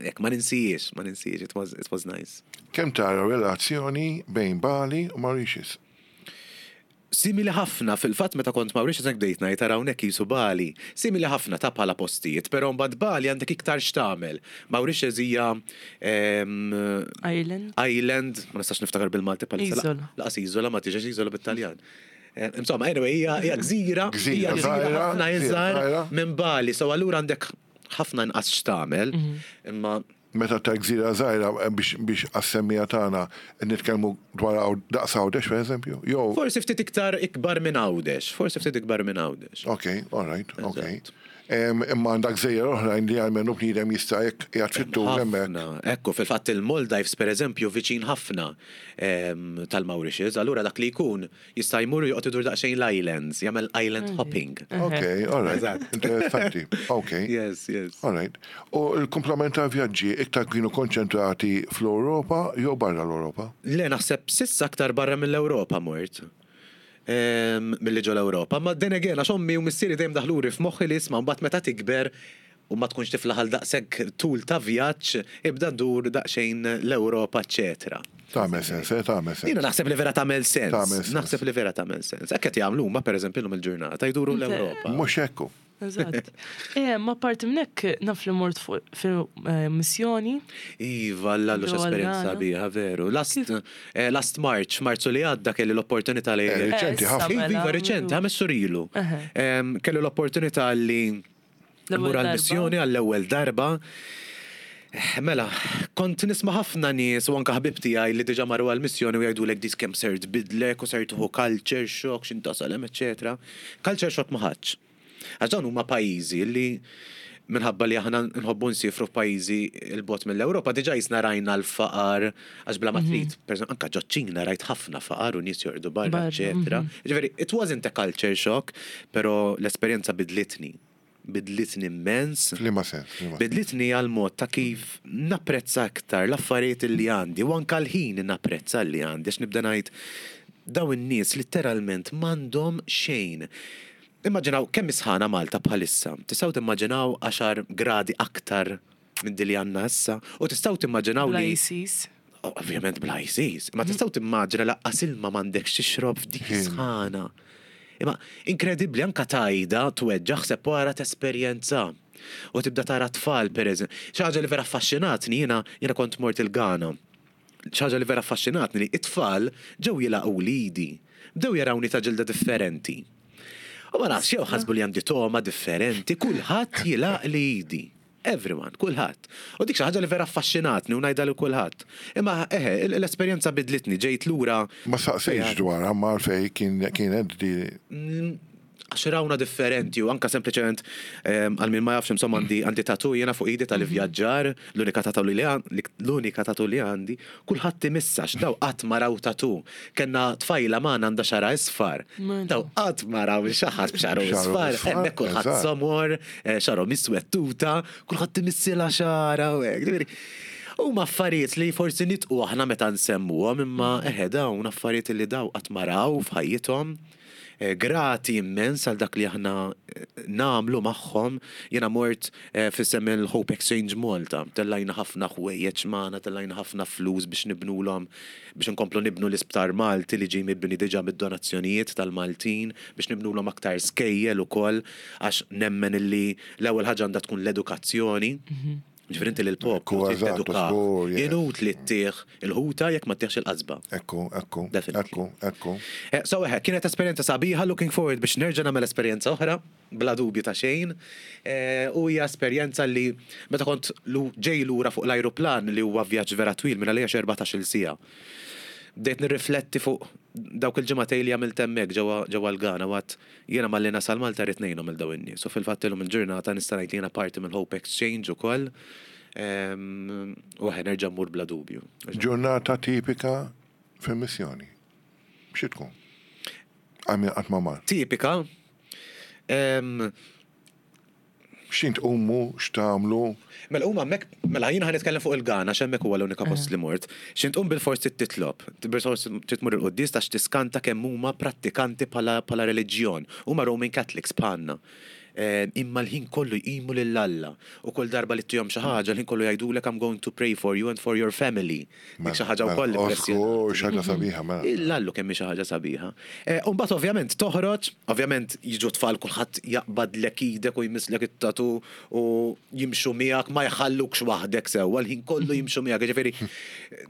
Ek, ma ninsijiex, ma ninsijiex, it was, it was nice. Kemm tara relazzjoni bejn Bali u Mauritius? Simili ħafna, fil-fatt meta kont Mauritius hekk bdejt ngħid tara hawnhekk qisu Bali. Simili ħafna ta' bħala postijiet, però mbagħad Bali għandek iktar x'tagħmel. Mauritius hija em, Island. Island, ma nistax niftakar bil-Malti bħalissa. Iżola. Lanqas iżola, ma tiġix iżola bit-Taljan. Eh, Insomma, anyway, hija hija gżira, Gżira hija gżira żgħira, ħafna gżira iżgħar żgħira. minn Bali, so allura għandek ħafna inqas x'tagħmel, imma Meta ta' gżira żgħira eh, biex biex għas-semmiegħa tagħna nitkellmu dwar għaw- daqs Għawdex pereżempju? Jew forsi ftit iktar ikbar minn Għawdex, forsi ftit ikbar minn Għawdex. Ok, all right, ok. Eżatt. Em, Imma għandak gżejjer oħrajn li għalmenu bniedem jista' jekk qiegħed fit-tul hemmhekk. Ħafna. Ekku, fil-fatt il-Maldives per eżempju viċin ħafna em, tal-Mauritius, allura dak li jkun jista' jmur u joqgħod idur daqsxejn l-islands, jagħmel island hopping. Ok, all right. Eżatt. Interessanti. Ok. Yes, yes. All right. U l-kumplament ta' vjaġġi iktar kienu konċentrati fl-Ewropa jew barra l-Ewropa? Le, naħseb s'issa aktar barra mill-Ewropa mort. Em, Milli ġo l-Ewropa. Ma then again, għax ommi u missieri dejjem daħluli f'moħħi li isma' mbagħad meta tikber u ma tkunx tiflaħ għal daqshekk tul ta' vjaġġ, ibda dur daqsxejn l-Ewropa, eċetera. Tagħmel sens, eh, tagħmel sens. Jiena naħseb li vera tagħmel sens. Tagħmel sens. Naħseb li vera tagħmel sens. Hekk qed jagħmlu huma pereżempju llum il-ġurnata jduru l-Ewropa. Mhux hekk. Eżatt. Eh, ma parti minn hekk naf li mort fuq fil-missjoni. Iva, l-allu Ġewwa esperjenza l-Ghana. biha, veru. Last, eh, last March, Marzu li għadda kelli l-opportunità li. Eh, Riċenti issa ħafna. mela. Iva, riċenti, ħames xhur ilu. Eħe. Em, Kelli l-opportunità li L-ewwel mmur darba. għal-missjoni għall-ewwel darba. Eh, Mela, kont nisma' ħafna nies u anka ħbib tiegħi li diġà marru għal-missjoni u jgħidulek dis kemm ser tbidlek u ser tieħu culture shock, x'intasal hemm, eċetera. Culture shock ma ħadx. Għax dawn huma pajjiżi li minħabba li aħna nħobbu nsifru f'pajjiżi 'l bogħod mill-Ewropa, diġà jisna rajna l-faqar, għax bla ma trid, per eżempju, anka ġoċ-Ċina rajt ħafna faqar u nies jorqdu barra, Barra, eċetera. Ġifieri, it wasn't a culture shock, però l-esperjenza bidlitni. Bidlitni immens. F'liema sens, f'liema sens. Bidlitni għal mod ta' kif napprezza aktar l-affarijiet li għandi u anka l-ħin napprezza li għandi għax nibda ngħid daw in-nies literalment m'għandhom xejn. Immaġinaw kemm isħana Malta bħalissa. Tistgħu timmaġinaw għaxar gradi aktar minn din li għandna issa u tistgħu timmaġinaw Bla li ISIS. Ovvjament bla ISIS, ma tistgħu timmaġina laqqas ilma m'għandekx tixrob f'dik sħana. Imma inkredibbli anka tajda tweġġa ħseb wara tesperjenza. U tibda tara tfal per eżempju. Xi ħaġa li vera affaxxinatni jiena jiena kont mort il-Ghana. Xi ħaġa li vera affaxxinatni li it-tfal ġew jilagħqu lidi. Bdew jarawni ta' ġilda differenti. U ma nafx jew ħasbu li għandi togħma differenti, kulħadd jilgħaq li idi. Everyone, kulħadd. U dik xi ħaġa li vera affaxxinatni u ngħidha lil kulħadd. Imma eħe, l-esperjenza bidlitni, ġejt lura Ma saqsejx dwar, ma għalfej kien kienet di Mm, għax rawna differenti u anka sempliċement em, għal min ma jafx insomma għandi għandi tattoo jiena fuq idi tal-ivvjaġġar, l-unika tattoo li għan- l-unika tattoo li għandi, kulħadd imissa daw qatt ma raw tattoo. Kellna tfajla magħna għandha xagħarha isfar. Mela. Daw qatt ma raw xi ħadd b'xagħru Xagħru isfar, isfar, hemmhekk kulħadd eżatt. somor, eh, xagħru miswettuta, kulħadd imissilha xagħarha u hekk. Ġifieri, Huma affarijiet li forsi nitqu aħna meta nsemmuhom imma eħe dawn affarijiet li daw qatt ma raw f'ħajjithom. Eh, Grati immens għal dak li aħna eh, nagħmlu magħhom. Jiena mort eh, f'isem il-Hope Exchange Malta. Tellajna ħafna ħwejjeġ magħna, tellajna ħafna flus biex nibnulhom biex nkomplu nibnu l-isptar Malti li ġej mibni diġà mid-donazzjonijiet tal-Maltin biex nibnulhom aktar skejjel ukoll għax nemmen illi l-ewwel ħaġa għandha tkun l-edukazzjoni. Ġifieri inti lill-poplu Ekku, trid eżatt, teduka. żgur, yes. Inutli ttih il-ħuta jekk ma ttihx il-qasba. Ekku, ekku, Definitely. ekku, ekku. Eh, So eħe, kienet esperjenza sabiħa, looking forward biex nerġa' nagħmel esperjenza oħra, bla dubju ta' xejn. Eh, U hija esperjenza li meta kont lu- ġej lura fuq l-ajruplan li huwa vjaġġ vera twil minn għalija xi erbatax-il siegħa. Bdejt nirrifletti fuq dawk il-ġimagħtejn li għamilt hemmhekk ġewwa ġewwa l-Ghana waqt jiena malli nasal Malta rrid ngħinhom il daw in-nies. U fil-fatt illum il-ġurnata nista' ngħid li jiena parti mill Hope Exchange ukoll. Em, U eħe nerġa' mmur bla dubju. Ġurnata tipika fil-missjoni. Xi tkun? Għal min qatt ma mar. Tipika. Em, X'int tqumu, x'tagħmlu? Mela huma hemmhekk, mela jiena ħa nitkellem fuq il-Ghana x'hemmhekk huwa l-unika post li mort. X'int tqum bil-fors trid titlob, bil-fors trid tmur il-quddies għax tiskanta kemm huma prattikanti bħala bħala reliġjon. Huma Roman Catholics bħalna. Eh, Imma l-ħin kollu jqimu lil Alla. U kull darba li ttihom xi ħaġa, l-ħin kollu jgħidulek I'm going to pray for you and for your family. Dik xi ħaġa wkoll Osku, xi ħaġa sabiħa, mela. Illallu kemm hi xi ħaġa sabiħa. Eh, U mbagħad ovvjament toħroġ, ovvjament jiġu tfal kulħadd jaqbadlek idek u jmisslek it-tattoo u jimxu miegħek ma jħallukx waħdek sewwa, l-ħin kollu jimxu miegħek. Ġifieri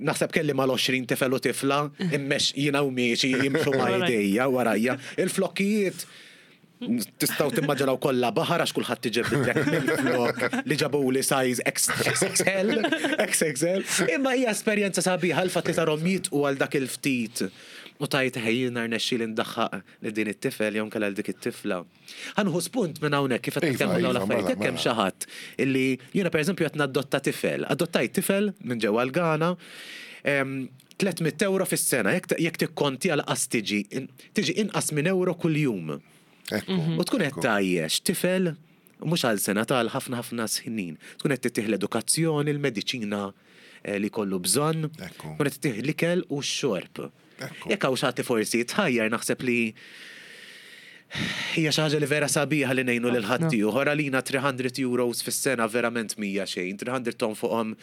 naħseb kelli mal-għoxrin tifel u tifla, immex jiena u miexi jimxu ma' idejja warajja. Il-flokkijiet tistgħu timmaġinaw kollha baħar għax kulħadd iġibdek mill-flok li ġabu li size X X L, X X L. Imma hija esperjenza sabiħa l-fatt li tarhom jitqu għal dak il-ftit. U tgħid ħejjina rnexxi li ndaħħaq li din it-tifel jew nkella dik it-tifla. Ħa nieħu spunt minn hawnhekk kif qed Iva, nitkellmu dawn iva, l-affarijiet. mela, Jekk hemm mela. xi ħadd illi jiena pereżempju qed nadotta tifel, adottajt tifel minn ġewwa l-Ghana, em, tliet mitt euro fis-sena, jekk jekk tikkonti għal qas tiġi tiġi inqas minn euro kuljum. Ekku. U tkun qed ekku. tgħajjex tifel u mhux għal sena tal ħafna ħafna snin. Tkun qed tittih l-edukazzjoni, l-mediċina eh, li kollu bżonn, Ekku. tkun qed tittih l-ikel u x-xorb. Ekku. Jekk hawn xi ħadd forsi jitħajjar naħseb li Hija xi ħaġa li vera sabiħa li ngħinu lil Ħafna. ħaddieħor. Għalina tliet mitt euros fis-sena verament mija xejn, tliet mitt ton fuqhom,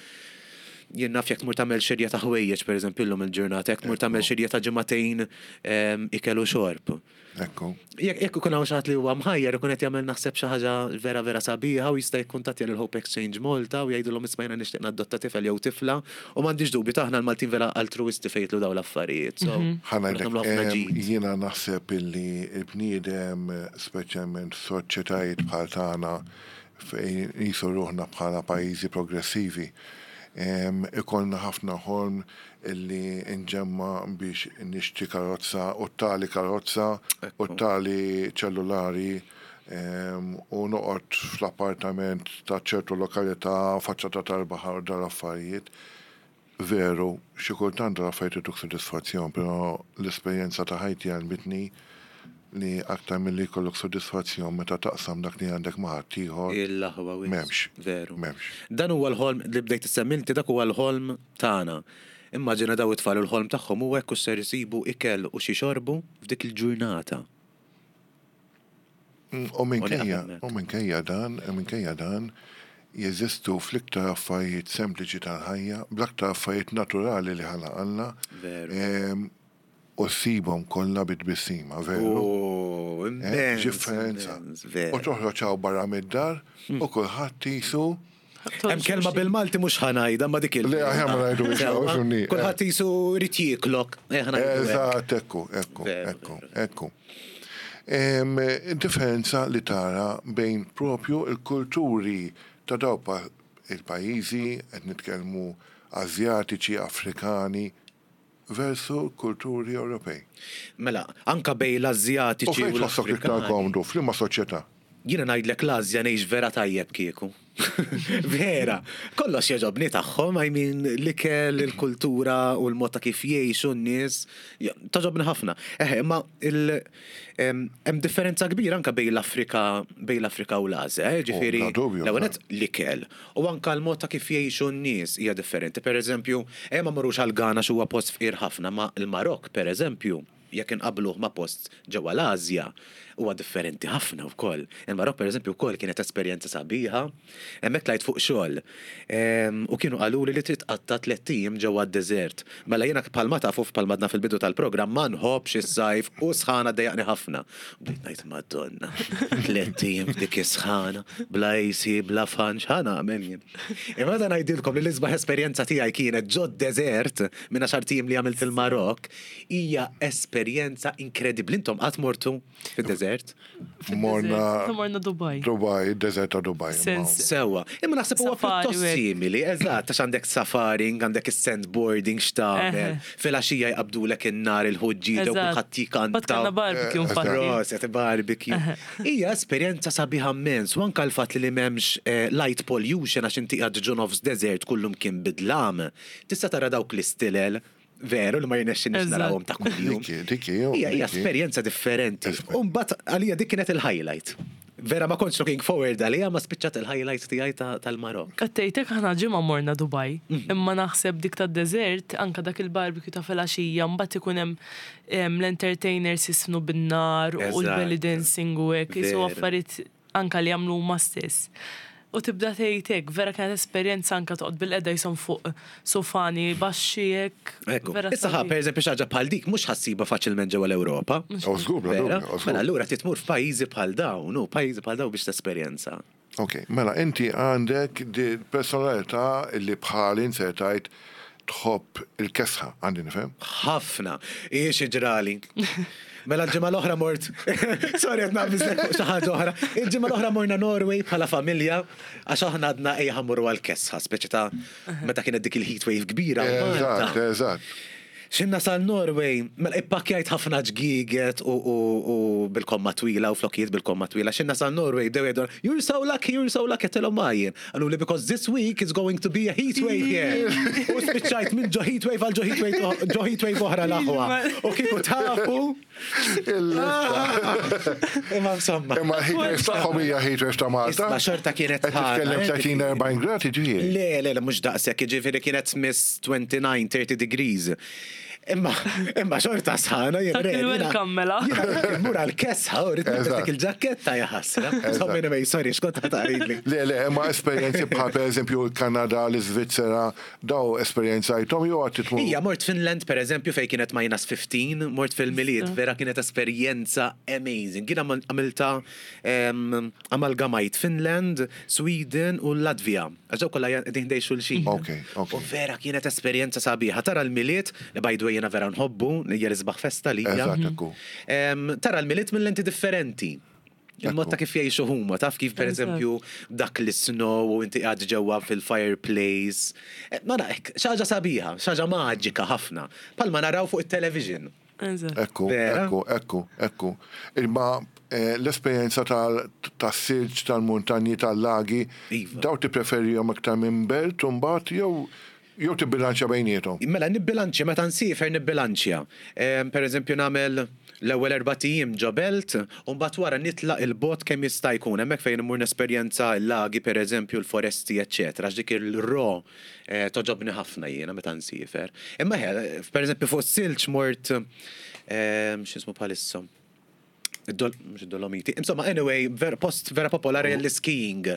jien naf, jekk tmur tagħmel xirja ta' ħwejjeġ, pereżempju, llum il-ġurnata, jekk tmur tagħmel xirja ta' ġimagħtejn em, ikel u xorb. Ekku. Jekk jekk ikun hawn xi ħadd li huwa mħajjar ikun qed jagħmel, naħseb, xi ħaġa vera vera sabiħa u jista' jikkuntattja lil Hope Exchange Malta u jgħidulhom, "Isma', jiena nixtieq nadotta tifel jew tifla," u m'għandix dubju taħna l-Maltin vera altruisti fejn jidħlu dawn l-affarijiet. So Ħa ngħidlek, nagħmlu ħafna em, ġid. jiena naħseb illi il-bniedem, speċjalment soċjetajiet bħal tagħna fejn nqisu ruħna bħala pajjiżi progressivi, em, ikollna ħafna ħolm illi nġemma biex nixtri karozza u tali karozza u tali ċellulari em, u noqgħod fl-appartament ta' ċertu lokalità, faċċata tal-baħar u dal-affarijiet. Veru, xi kultant dal-affarijiet ituk sodisfazzjon, però l-esperjenza ta' ħajti għallmitni li aktar milli jkollok sodisfazzjon meta taqsam dak li għandek ma' ħaddieħor. Il-aħwa wisq. M'hemmx. Veru. M'hemmx. Dan huwa l-ħolm li bdejt issemmi inti, dak huwa l-ħolm tagħna. Immaġina daw it-tfal, il-ħolm tagħhom huwa hekk ser isibu ikel u xi xorbu f'dik il-ġurnata. Mm, U minkejja, U nieqaf hemmhekk. u minkejja dan, u minkejja dan, jeżistu fl-iktar affarijiet sempliċi tal-ħajja, bl-aktar affarijiet naturali li ħalaq Alla, Veru. em, u ssibhom kollha bit-tbissima, veru? Oh, Eh, immens, Differenza. immens, veru. U toħroġ hawn barra mid-dar u kulħadd qisu Hemm kelma bil-Malti mhux ħa ngħidha, ma dik il- Le, aħjar ma ngħidu biex Sewwa, fhimni, eh. Kulħadd qisu jrid jieklok. Eh, ħa ngħidu hekk. Eżatt, ekku, ekku, Veru, ekku, veru. ekku. Em, Differenza li tara bejn propju il-kulturi ta' daw pa- il-pajjiżi, qed nitkellmu Azjatiċi, Afrikani, versu kulturi Ewropej. Mela, anka bejn U l-Azjatiċi fejn u tħossok iktar l-Afrikani. komdu, f'liema soċjetà? Jiena ngħidlek, l-Azja ngħix vera tajjeb kieku. Vera, kollox jogħġobni tagħhom, I mean, l-ikel, il-kultura u l-mod ta' kif jgħixu n-nies, ja, togħġobni ħafna. Eħe, imma il- em, hemm differenza kbira anka bejn l-Afrika bejn l-Afrika u l-Azja, eh, ġifieri bla dubju, l-ewwel bla. nett l-ikel. U anka l-mod ta' kif jgħixu n-nies hija differenti. Per eżempju, eh, ma mmorrux għal Ghana x'huwa post fqir ħafna, ma il-Marok, per eżempju, jekk inqabluh ma' post ġewwa l-Asja, huwa differenti ħafna wkoll. Il-Marok, per eżempju, wkoll kienet esperjenza sabiħa, hemmhekk tlajt fuq xogħol. Em, U kienu qaluli li trid tqatta' tliet ijiem ġewwa d-deżert. Mela jiena, bħalma tafu, bħalma għedna fil-bidu tal-programm, ma nħobbx is-sajf u sħana ddejjaqni ħafna. Bdejt ngħid, "Madonna, tliet ijiem f'dik is-sħana, bla A C, bla fan, x'ħa nagħmel jien?" Imma da ngħidilkom li l-isbaħ esperjenza tiegħi kienet ġo deżert minn għaxart ijiem li għamilt il-Marok, hija esperjenza inkredibbli. Intom qatt mortu fid-deżert? Morna Morna Dubai. Dubai, deżert ta' Dubai. Sens. Sewwa, imma naħseb huwa Safari pjuttost u hekk. simili, eżatt, għax għandek safaring, għandek is-sandboarding x'tagħmel, Eħe. filgħaxija jqabdulek in-nar il-ħuġġieġa u Eżatt. kulħadd jikanta. Bat kellna barbecue Eh, infatti. Proset, barbecue. Hija esperjenza sabiħa immens, u anka l-fatt li m'hemmx eh, light pollution, għax inti qiegħed ġo nofs desert, kullum kien bid-dlam. Tista' tara dawk l-istilel, veru li ma jirnexxinix Eżatt. narawhom ta' kuljum. Dikki, dikki, jo, Hija hija dikki. esperjenza differenti. Esper- U mbagħad għalija dik kienet il-highlight. Vera ma kontx looking forward għalija, ma spiċċat il-highlight tiegħi ta- tal-Marok. Qattejtek aħna ġimgħa morna Dubai, Mhm. imma naħseb dik ta' desert, anka dak il-barbecue ta' filgħaxija, mbagħad ikun hemm em, l-entertainers jisfnu bin-nar u Eżatt. l-belly dancing u hekk, qisu Veru. affarijiet anka li jagħmlu huma stess. U tibda tgħid hekk, vera kienet esperjenza, anka toqgħod bil-qeda jisom fuq sofani baxxi hekk. Ekku. Vera Issa ħa, sabiħ. per eżempju, xi ħaġa bħal dik mhux ħa ssibha faċilment ġewwa l-Ewropa. Oh, żgur, bla Vera? dubju, oh, żgur. Mela allura trid tmur f'pajjiżi bħal dawn, u pajjiżi bħal dawn biex tesperjenza. Ok, mela inti għandek di personalità li bħali insertajt tħobb il-kesħa, għandi nifhem? Ħafna. Iex ġrali. Mela l-ġimgħa l-oħra mort. Sorry, qed naqbiżlek fuq xi ħaġa oħra. Il-ġimgħa l-oħra morna Norway bħala familja, għax aħna għadna ejja ħa mmorru għal-kesħa, speċi ta' meta kienet dik il-heat wave kbira. Eżatt, Malta. eżatt. Xinna sal Norway, mela ippakkjajt ħafna ġgiget u, u, u bil-komma twila u flokkijiet bil-komma twila. Xinna sal Norway, bdew jgħidu, "You're so lucky, you're so lucky," għedtilhom għajjen. Qaluli, "Because this week is going to be a heat wave here." U spiċċajt minn ġo heat wave għal ġo heat wave, ġo heat wave oħra, l-aħwa. U kieku tafu. Imma insomma. Imma l-heat wave tagħhom hija heat wave ta' Malta. Isma' xorta kienet Qed titkellem ħana, tletin erbgħin gradi, ġifieri. Le, le, le, mhux daqshekk, ġifieri kienet miss twenty-nine, thirty degrees. Imma, imma xorta sħana, jien Dak ready, jiena- il-welcome mela. Jiena mmur għal-kesħa, u rrid nilbes Eżatt. dik il-ġaketta jaħasra. Insomma, anyway, sorry, x'kont ħa tgħidli. Le, le, ma esperjenzi bħal per eżempju il-Kanada, l-Iżvizzera, daw esperjenzajthom jew għad titmu. Ija, mort Finland, per eżempju, fej kienet minus fifteen, mort fil-Milied, vera kienet esperjenza amazing. Jien għamilta em, amalgamajt Finland, Sweden u Latvija. Għax daw kollha qegħdin ħdejn xulxin. Ok, ok. U vera kienet esperjenza sabiħa. Tara l-Milied, li by the way jiena vera nħobbu, hija l-isbaħ festa li hija. Eżatt, ekku. Em, Tara l-Milied minn lenti differenti. Il-mod ta' kif jgħixu huma, taf kif per Eżatt. eżempju dak l-snow u inti qgħad ġewwa fil-fireplace. Eh, Ma nafx, xi ħaġa sabiħa, xi ħaġa maġika ħafna. Bħalma naraw fuq it-television. Eżatt. Ekku, Vera? ekku, ekku, ekku. Imma eh, l-esperjenza tal-silġ, tal-muntanji, tal-lagi, Iva. daw tippreferihom iktar minn belt u mbagħad jew jew tibbilanċja bejniethom? Mela nibbilanċja, meta nsiefer nibbilanċja. Em, Per eżempju nagħmel l-ewwel erbat ijiem ġo belt u mbagħad wara nitlaq 'il bogħod kemm jista' jkun hemmhekk fejn immur nesperjenza l-lagi per eżempju l-foresti eċċetera. Għax dik il-ro eh, togħġobni ħafna jiena meta nsiefer. Imma ħe, per eżempju fuq silġ mort em, x'ismu bħalissa. Id-dol, mhux id-Dolomiti. Insomma, anyway, ver, post vera popolari l-skiing.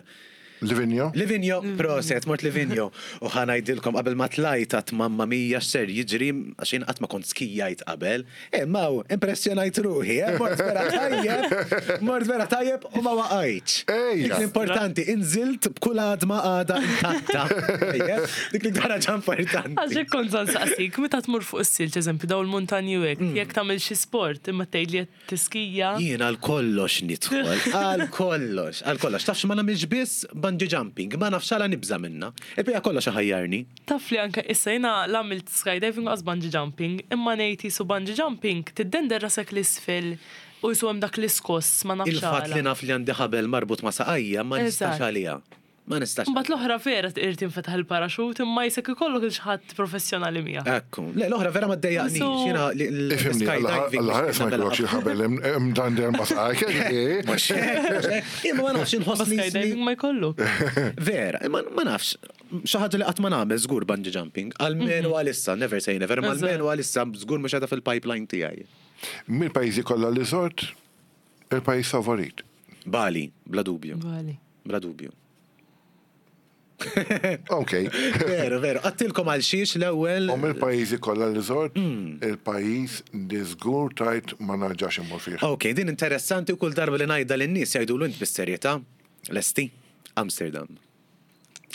Livigno? Livigno, proset, mort Livigno. U ħa ngħidilkom qabel ma tlajt għedt mamma mia x'ser jiġri, għax jien qatt ma kont skijajt qabel. E maw, impressjonajt ruħi, eh? Mort vera tajjeb, mort vera tajjeb u ma waqajtx. Ejja. Dik l-importanti, inżilt b'kull għadma għada intatta. Ejja, dik l-iktar ħaġa importanti. Għax kont se nsaqsik, meta tmur fuq is-silġ, eżempju, daw il-muntanji u hekk, jekk tagħmel xi sport, imma tgħid li qed tiskija. Jien għal kollox nidħol, għal kollox, għal kollox. Tafx ma nagħmilx biss bungee jumping, ma nafx għala nibża minna. Il-bija kollox ħajjarni. Taf li anke issa jiena l-għamilt skydiving għax bungee jumping, imma ngħid jisu bungee jumping, tiddender rasek l-isfel u jisu hemm dak l-iskoss ma nafx Il-fatt li għala. naf li għandi ħabel marbut ma saqajja ma nistax Eżatt. għalija. Ma nistax. Mbagħad l-oħra vera tqir tinfetaħ il-paraxut imma jisek ikollok il xi ħadd professjonali miegħek. Ekku. Le, l-oħra vera ma ddejjaqnix. So- Jiena li- Ifhimni, l-skydiving. Alla ħares ma jkollokx il-ħabel imdander ma saqajk. Mhux hekk, mhux hekk. Imma ma nafx Ma inħossni skydiving ma jkollok. Vera, imma ma nafx. Xi ħaġa li qatt ma nagħmel żgur bungee jumping. Almenu għalissa, never say never, ma Eżatt. almenu għalissa żgur mhux għadha fil-pipeline tiegħi. Mill-pajjiżi kollha li żort, il-pajjiż favorit? Bali, bla dubju. Bali. Bla dubju. Ok. Veru, veru. Għedtilkom għal xiex l-ewwel. U mill-pajjiżi kollha li żort, il-pajjiż li żgur tgħid ma narġax immur fih? Ok, din interessanti u kull darba li ngħidha lin-nies jgħidu int bis-serjetà. Lesti, Amsterdam.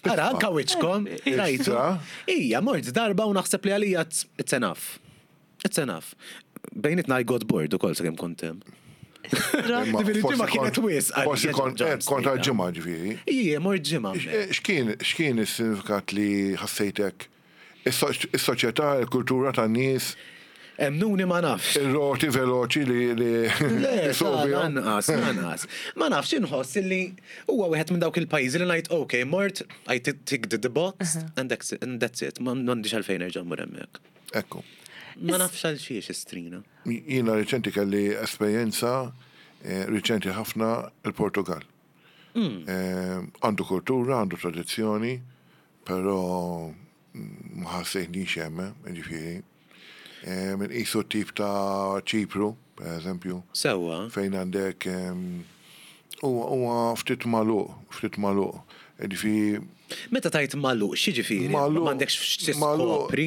Ara, anka wiċkom, rajtu. Issa? Ija, mort darba u naħseb li għalija it's- it's enough. It's enough. Bejnitna I got bored ukoll sakemm kont hemm. Imma Ġifieri forsi ġimgħa kienet kont- wisq għalija Forsi kont ġo eh, kont Amsterdam. ġimgħa ġifieri. Ija, mort ġimgħa. X'kien x'kien is-sinifikat li ħassejtek? Is-soċjetà, il-kultura tan-nies, Emmnuni ma nafx. ir-roti veloċi li li Le, jisuqu bihom? lanqas, lanqas. Ma nafx inħoss illi huwa wieħed minn dawk il-pajjiżi li ngħid ok, mort, I ticked the box and that's it, and that's it. Ma m'għandix għalfejn nerġa' mmur hemmhekk. Ekku. Ma nafx għal xiex istrina. Jiena riċenti kelli esperjenza eh, riċenti ħafna il-Portugal. Eh, Għandu kultura, għandu tradizzjoni, però mm, ma ħassejtnix hemm, eh, ġifieri. Eh, Minn qisu tip ta' Ċipru, per eżempju, Sewwa. fejn għandek em, huwa huwa ftit magħluq, ftit magħluq. Ġifieri Meta tgħid magħluq, x'jiġifieri? Magħluq- M'għandekx magħluq. x'tiskopri.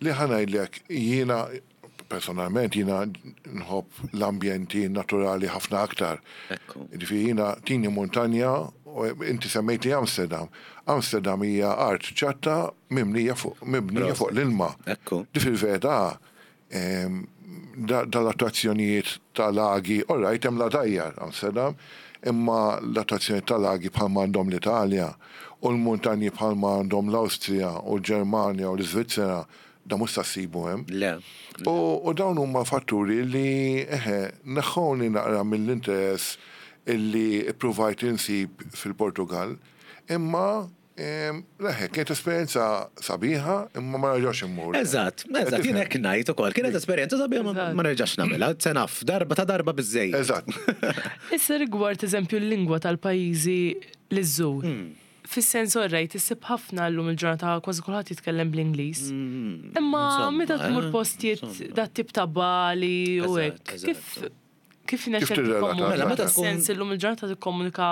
Li ħa ngħidlek, jiena personalment jiena nħobb l-ambjenti naturali ħafna aktar. Ekku. Ġifieri jiena tini montanja, u inti semmejt li Amsterdam. Amsterdam hija art ċatta mibnija fuq mibnija fuq l-ilma. Ekku. Di fil-verità, em, da- dal-attrazzjonijiet tal-lagi, all right, hemm l-għadajjar Amsterdam, imma l-attrazzjonijiet tal-lagi bħalma għandhom l-Italja u l-muntanji bħalma għandhom l-Awstrija u l-Ġermanja u l-Iżvizzera, da mhux sa ssibu hemm. Le. U, u dawn huma fatturi li eħe, neħħewni naqra mill-interess illi provajt insib fil-Portugal, imma em, leħe, kienet esperjenza sabiħa, imma ma nerġax immur. Eżatt, eżatt, jien hekk ngħid ukoll. Kienet esperjenza sabiħa ma Eżatt. ma nerġax nagħmilha, it's enough. Darba ta' darba biżejjed. Eżatt. Issa rigward eżempju l-lingwa tal-pajjiżi li żżur. Fis-sens, orrajt, issib ħafna llum il-ġurnata kważi kulħadd jitkellem bl-Ingliż. Imma Insomma, meta tmur eh, postijiet insomma. dat tip ta' Bali u Eżatt, hekk, eżatt. kif kif nexxek tirrelata? tikkomunika? Mela, meta tkun- Sens illum il-ġurnata tikkomunika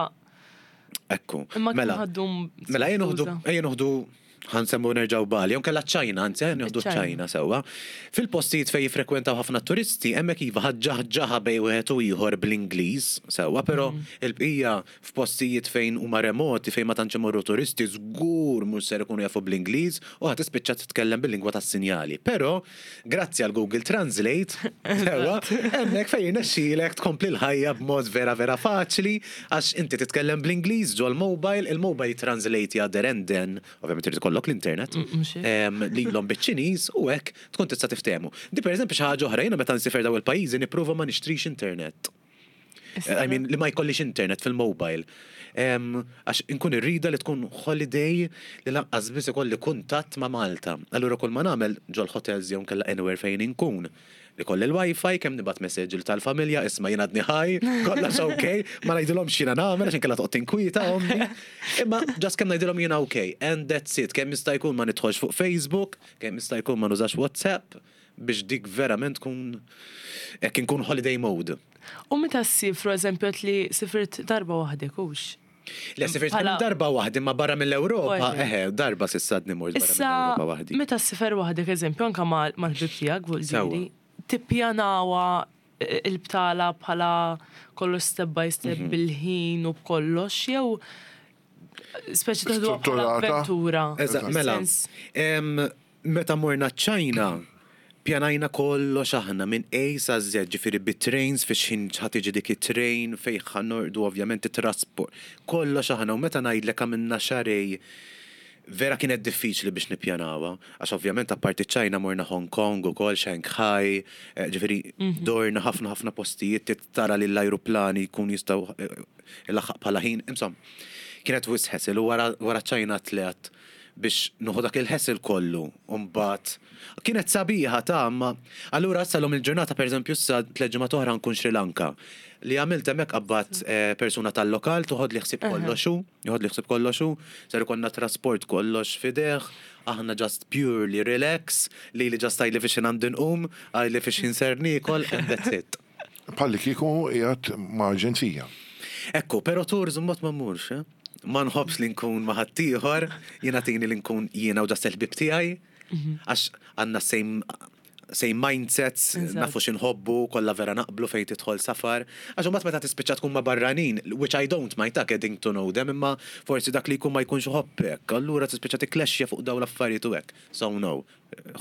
Ekku. imma kif Mela, ħaddum Mela, ejja noħdu, ejja noħdu ħa nsemmu nerġgħu Bali, jew kella ċ-Ċajna, anzi, ejja noħdu Iċ-Ċajna. ċ-Ċajna sewwa. Fil-postijiet fejn jifrekwentaw ħafna turisti, hemmhekk iva ħaġġaħġaħa bejn wieħed u ieħor bl-Ingliż, sewwa, però il-bqija f'postijiet fejn huma remoti, fejn ma tantx imorru turisti, żgur mhux ser ikunu jafu bl-Ingliż u ħa tispiċċa titkellem bil-lingwa tas-sinjali. Però, grazzi għal Google Translate, sewwa, hemmhekk fejn jirnexxielek tkompli l-ħajja b'mod vera vera faċli, għax inti titkellem bl-Ingliż ġol-mobile, il-mobile translate ja there and then, ovvjament irid ikollok l-internet, mhux hekk. em, lilhom biċ-Ċiniż u hekk tkun tista' tiftehmu. Di pereżempju xi ħaġa oħra, jiena meta nsiefer daw il-pajjiżi nipprova ma nixtrix internet. I mean, li ma jkollix internet fil-mobile. Em, Għax inkun irrida li tkun holiday li lanqas biss ikolli kuntatt ma' Malta. Allura kull ma nagħmel ġol hotels jew kella anywhere fejn inkun. Li kolli l-wifi, kemm nibgħat message tal-familja, isma' jien għadni ħaj, kollox ok, ma ngħidilhomx x'jiena nagħmel għax inkella toqgħod tinkwieta ommi. Imma just kemm ngħidilhom jiena ok, and that's it. Kemm jista' jkun ma nidħolx fuq Facebook, kemm jista' jkun ma nużax WhatsApp, biex dik verament tkun hekk inkun holiday mode. U meta ssifru, eżempju, għedt li sifirt darba waħdek, hux? Le, sifirt Bħala- darba waħdi ma barra mill-Ewropa, Waħdi. eħe, darba s'issa għadni mort barra Issa, mill-Ewropa waħdi. meta ssifer waħdek, eżempju, anka mal-ħbib tiegħek, Sewwa. vuldiri, tippjanawa eh, il-btala bħala kollox step by step Mhm. bil-ħin u b'kollox, jew speċi teħduha bħala Strutturata. avventura. Eżatt, mela, Sens- em, meta morna ċ-Ċajna, pjanajna kollox aħna minn A sa Z, ġifieri bit-trains fiex ħin ħa tiġi dik it-train fejn ħa norqdu ovvjament it-trasport. Kollox aħna u meta ngħidlek għamilna xahrejn vera kienet diffiċli biex nippjanawha, għax ovvjament apparti ċ-Ċajna morna Hong Kong u kol, Shanghai, eh, ġifieri dorna ħafna ħafna postijiet tit tara li l-ajruplani jkun jistgħu eh, ilaħħaq bħala ħin, insomma, kienet wisq hassle u wara wara ċ-Ċajna tlaqt biex nieħu dak il-hassle kollu, mbagħad kienet sabiħa ta' ma allura sal-lum il-ġurnata per eżempju issa tliet ġimgħat oħra nkun Sri Lanka. Li għamilt hemmhekk qabbat eh, persuna tal-lokal toħod li ħsieb kollox hu, joħod li ħsieb kollox hu, ser ikollna trasport kollox f'idejh, aħna just purely relax, li li just għidli fiex għandi nqum, għidli fiex ser niekol, and that's it. Bħalli kieku qiegħed ma' aġenzija. Ekku, pero tours mbagħad ma mmurx, eh? Ma nħobbx li nkun ma' ħaddieħor, jiena tini li nkun jiena u just il-ħbib tiegħi, għax għandna same same mindsets, Eżatt. nafu x'inħobbu, kollha vera naqblu fejn tidħol safar. Għax imbagħad meta tispiċċa tkun ma' barranin, which I don't mind ta' getting to know them, imma forsi dak li jkun ma jkunx iħobbek, allura tispiċċa tikklexxja fuq dawn l-affarijiet u hekk. So no,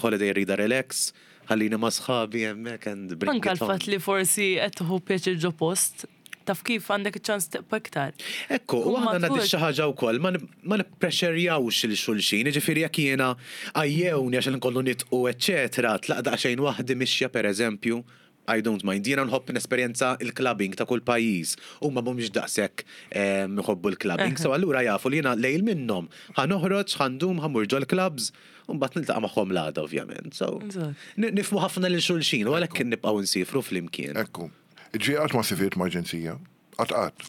holiday rida relax, ħallini ma' sħabi hemmhekk and bring Anka it on. l-fatt li forsi qed tieħu pjaċir ġo post, taf kif għandek iċ-ċans tibqa' iktar. Ekku, u Tkun aħna matur. nadi xi ħaġa wkoll, ma nib- ma nipprexxerjawx lil xulxin, jiġifieri jekk jiena għajjewni għax nkollu nitqu eċċetera, tlaq daqsxejn waħdi mixja pereżempju, I don't mind. Jiena nħobb nesperjenza il-clubbing ta' kull pajjiż. Huma mhumiex daqshekk em, iħobbu l-clubbing. So allura jafu li jiena lejl minnhom ħa noħroġ, ħa ndum, ħa mmur ġol-clubs, u mbagħad niltaqa' magħhom l-għada ovvjament. So Eżatt. ni- nifhmu ħafna lil xulxin u għalhekk nibqgħu nsifru flimkien. Ekku. Ġi qatt ma sifirt ma' aġenzija. Qatt qatt.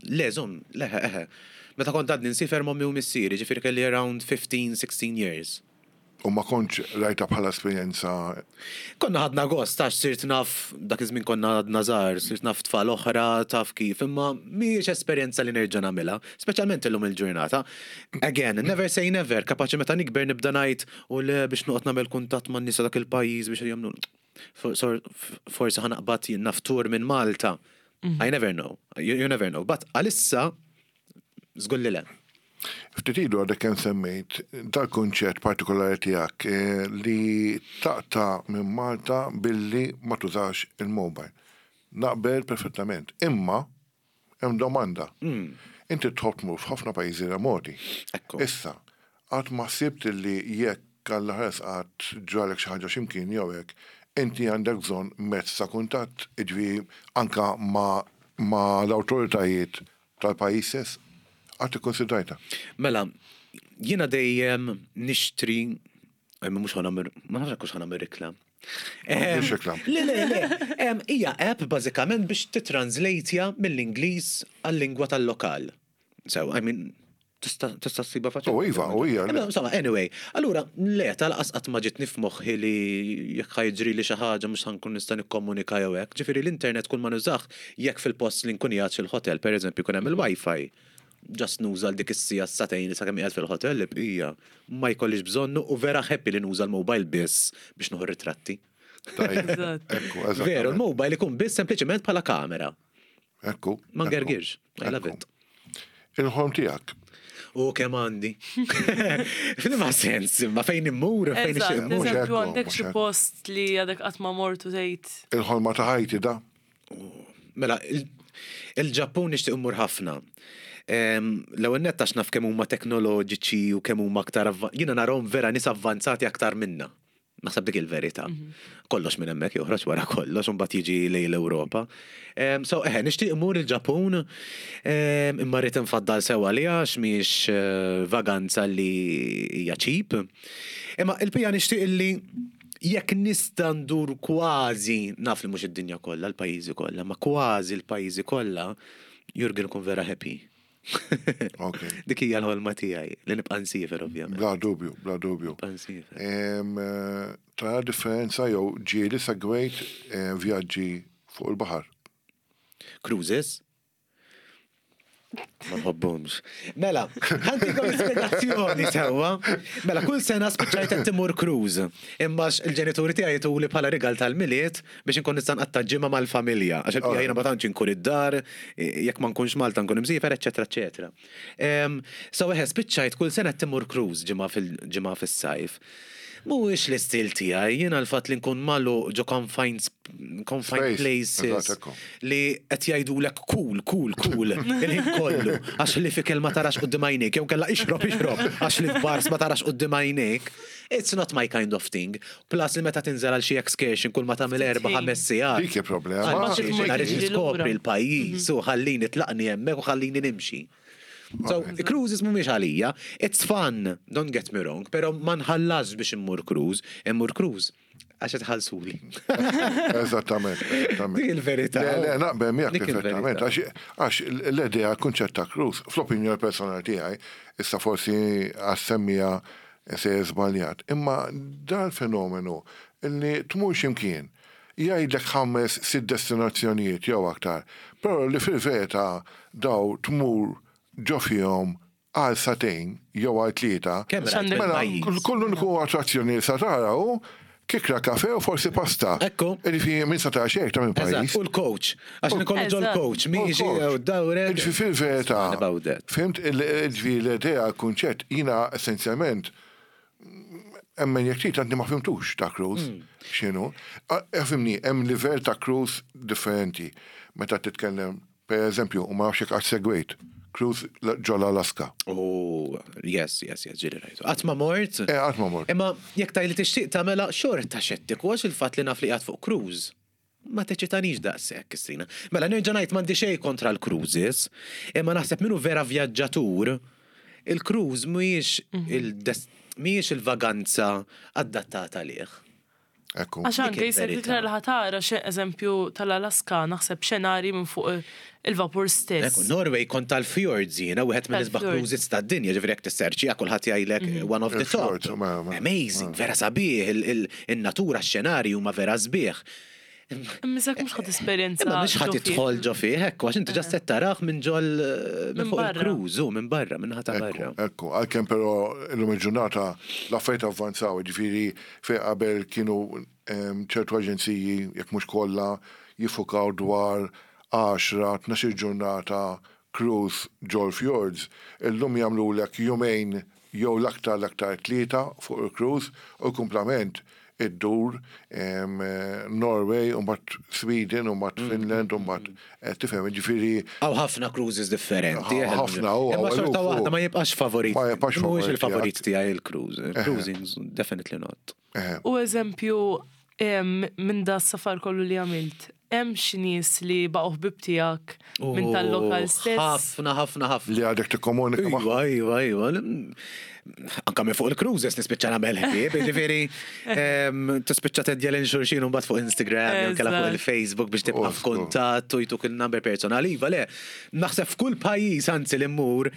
Le, żomm, le, eħe. Meta kont għadni nsifer m'ommi u missieri, ġifieri kelli around fifteen sixteen years. U ma kontx rajta bħala esperjenza? Konna ħadna gost, għax sirt naf, dak iż-żmien konna għadna żgħar, sirt naf tfal oħra, taf kif, imma mhijiex esperjenza li nerġa' nagħmilha, speċjalment illum il-ġurnata. Again, never say never, kapaċi meta nikber nibda ngħid u le biex noqgħod nagħmel kuntatt man nisa dak il-pajjiż biex jagħmlu For- sor- forsi ħa naqbad jien naf tour minn Malta. I never know. You, you never know. But għalissa, żgur li le. Ftit ilu għadek kemm semmejt dal-kunċett partikolari tiegħek eh, li taqta' minn Malta billi ma tużax il-mobile. Naqbel perfettament. Imma hemm domanda. Inti tħobb tmur f'ħafna pajjiżi remoti. Ekku. Issa, qatt ma ħsibt li jekk Alla ħares qatt ġralek xi ħaġa x'imkien jew hekk, inti għandek bżonn mezz ta' kuntatt, jiġifieri anka ma, ma l-awtoritajiet tal-pajjiż stess? Qatt ikkonsidrajta? Mela, jiena dejjem nixtri, imma mhux ħa nagħmel, ma nafx hux ħa nagħmel reklam. Em, Mhux reklam. Le, le, le. Em, Hija app bażikament biex titranslate mill-Ingliż għal-lingwa tal-lokal. So, I mean, tista' tista' ssibha faċli. Oh, iva, oh, ija, le. Imma, Insomma, anyway, allura, le, tal-qas qatt ma ġitni f'moħħi li jekk ħa jiġri li xi ħaġa mhux ħa nkun nista' nikkomunika jew hekk. Ġifieri l-internet kull ma nużah jekk fil-post li nkun qiegħed fil-hotel, pereżempju, jkun hemm il-Wi-Fi. Just nuża l dik is-siegħa sagħtejn li sakemm qiegħed fil-hotel li bqija ma jkollix bżonnu u vera happy li nuża l-mobile biss biex nieħu ritratti. Tajjeb. Eżatt. Ekku, eżatt. Veru, l-mobile ikun biss sempliċement bħala kamera. Ekku. Ma ekku. ngergirx. I love Ekku. it. Il-ħolm tiegħek. U kemm għandi. F'liema sens, ma fejn immur, fejn Eżatt, ixtieq immur. Mhux eżempju ekku, għandek mhux xi ekku. post li għadek qatt ma mort u tgħid. Il-ħolma ta' ħajti da. Mela, il- il-Ġappun nixtieq immur ħafna. Em, L-ewwel nett għax naf kemm huma teknoloġiċi u kemm huma aktar avva- jiena narahom vera nies avvanzati aktar minna. Naħseb dik il-verità. Kollox minn hemmhekk joħroġ wara kollox u mbagħad jiġi lejn l-Ewropa. Em, So eħe, nixtieq immur il-Ġappun em, imma rrid infaddal sewa li għax mhix eh, vaganza li hija cheap. Imma il-pija nixtieq illi jekk nista' ndur kważi, naf li mhux id-dinja kollha, l-pajjiżi kollha, ma kważi l-pajjiżi kollha, Jurgen kun vera happy. Ok. Dik hija l-ħolma tiegħi li nibqa' nsiefer ovvjament. Bla dubju, bla dubju. Nibqa' nsiefer. Em, eh, Tara differenza jew ġieli segwejt eh, vjaġġi fuq il-baħar. Cruises? Ma nħobbhomx. Mela, ħa ntikom spiegazzjoni sewwa. Mela, kull sena spiċċajt qed immur cruise. Imma il-ġenituri tiegħi jtuli bħala rigal tal-Milied biex inkun nista' nqatta' ġimgħa mal-familja. Għax il-bqija jiena ma tantx inkun id-dar, jekk ma nkunx Malta nkun imsiefer, eċetera, eċetera. Em, So eħe, spiċċajt kull sena qed immur cruise ġimgħa fil-ġimgħa fis-sajf. Mhuwiex l-istil tiegħi, jiena l-fatt li nkun magħluq ġo confined confined Space, places eżatt, ekku. li qed jgħidulek cool, cool, cool, il-ħin kollu, għax li fi kelma tarax quddiem għajnejk, jew kella ixrob, ixrob, għax li f'bars ma tarax quddiem għajnejk. It's not my kind of thing. Plus li meta tinżel għal xi excursion kull ma tagħmel erba' ħames sigħat. Dik hi problema. Għal Ma xiex, tmur jiena rrid tiġri niskopri lura. l-pajjiż u ħallini tlaqni hemmhekk u ħallini nimxi. So, cruises mhumiex għalija, it's fun, don't get me wrong, pero ma nħallasx biex immur cruise, immur cruise għax tħallsuli. Eżattament, eżattament. Dik il-verità. Le, le, naqbel miegħek Dik perfettament. il-verità. Għax għax l-idea kunċett ta' cruise, fl-opinjoni personali tiegħi, issa forsi għas-semmija se żbaljat. Imma dal-fenomenu illi tmur ximkien, jgħidlek ħames sitt destinazzjonijiet jew aktar, però li fil-verità daw tmur ġo fihom għal sagħtejn jew għal tlieta. Kemm rajt X'għandek- Mela, pajjiż? kull kull uniku attrazzjoni li sa tara hu kikra kafe u forsi pasta. Ekku. Ġifieri minn sa tara xejn ta' minn Eżatt, pajjiż. u l-coach. Għax nikollu ġol Eżatt. coach, miġi u dawre. Ġifieri fil-verità. About that. Fhimt, ġifieri l-idea, kunċett, jiena essenzjalment emmen jekk trid għandi ma fhimtux ta' cruise. Hmm. X'inhu? Fhimni, hemm livell ta' cruise differenti. Meta titkellem, per eżempju, u ma nafx jekk qatt segwejt, cruise ġol Alaska. Oh, yes, yes, yes, ġieli rajtu. Qatt ma mort. Eh, qatt ma mort. Imma jekk taj li tixtieq tagħmela xorta xettiku għax il-fatt li naf li qiegħed fuq cruise. Ma teċitanix daqshekk, Kristina. Mela nerġa' ngħid m'għandi xejn kontra l-cruises, imma naħseb minnu vera vjaġġatur, il-cruise mhuwiex il-des- mhijiex il-vaganza adattata għalih. Ekku. Għax anke Dik jisek il-verità. iktar li ħa tara xe eżempju tal-Alaska naħseb xenari minn fuq il-vapur stess. Ekku, Norway kont tal-fjords jiena, wieħed minn isbaħ Tal-fjords. cruises tad-dinja, ġifieri jekk tisserċi kulħadd jgħidlek one of the top. Il-fjords, ma- ma- Amazing, vera sabiħ, il- il- in-natura, x-xenarju ma vera sbieħ. Imma jisek mhux ħa tesperjenza. Imma mhux ħa ġo fih. tidħol ġo fih, ekku, għax inti just qed tarah minn ġol minn Minn fuq barra. il-cruise, u minn barra, minn ħata barra. Ekku, ekku, għalkemm però illum il-ġurnata l-affarijiet avvanzaw, ġifieri fej qabel kienu em, ċertu aġenziji, jekk mhux kollha, jiffukaw dwar għaxra, tnax-il ġurnata cruise ġol fjords, illum jagħmlulek jumejn jew l-aktar l-aktar tlieta fuq il-cruise u kumplament iddur em, eh, Norway, u mbagħad Sweden, u mbagħad Finland, u mbagħad eh, tifhem, ġifieri Hawn ħafna cruises differenti. Ħa- ħafna, u Imma hawn xorta eluf, u- waħda ma jibqax favorit. Ma jibqax Mhuwiex favorit il-favorit tiegħi il-cruise. Cruising, definitely not. eh, U eżempju, em, minn da s-safar kollu li għamilt, Hemm xi nies li baqgħu ħbib tiegħek minn tal-lokal stess? Ħafna, ħafna, ħafna. Li għadek tikkomunika ma' Iva, iva, iva. Anka minn fuq il-cruises nispiċċa nagħmel ħbieb, ġifieri em, tispiċċa teddja lil xulxin u mbagħad fuq Instagram, jew inkella fuq Eżatt. il-Facebook biex tibqa' Oh, f'kuntatt u jtuk il-number personali. Iva, le, naħseb f'kull pajjiż anzi li mmur,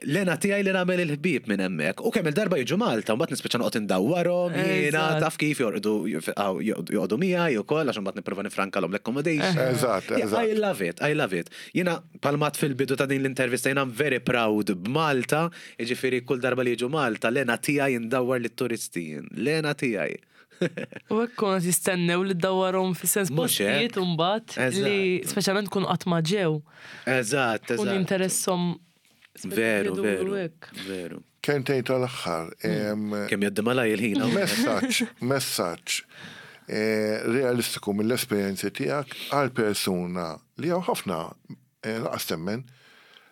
l-hena tiegħi li nagħmel il-ħbieb minn hemmhekk. U kemm il-darba jiġu Malta, mbagħad nispiċċa noqgħod indawwarhom, jiena Eżatt. taf kif jorqdu joqogħdu miegħi ukoll għax imbagħad nipprova nifrankalhom l-accommodation. Eżatt, Yeah, eżatt. I love it, I love it. Jiena palmat fil-bidu ta' din l-intervista, jiena I'm very proud b'Malta, jiġifieri kull darba li jiġu Malta, l-hena tiegħi ndawwar lit-turisti, l-hena tiegħi. U hekk konna jistennew li ddawwarhom fis-sens Mhux hekk. postijiet u mbagħad li Eżatt. speċjalment kun qatt ma ġew. Eżatt, Kun eżatt. interessom Veru, veru. hekk. Veru. Kelmtejn tal-aħħar. em, Kemm jgħaddi malajr il-ħin. hawn. Messaġġ, messaġġ eh, realistiku mill-esperjenzi tiegħek għal persuna li hawn ħafna eh, lanqas temmen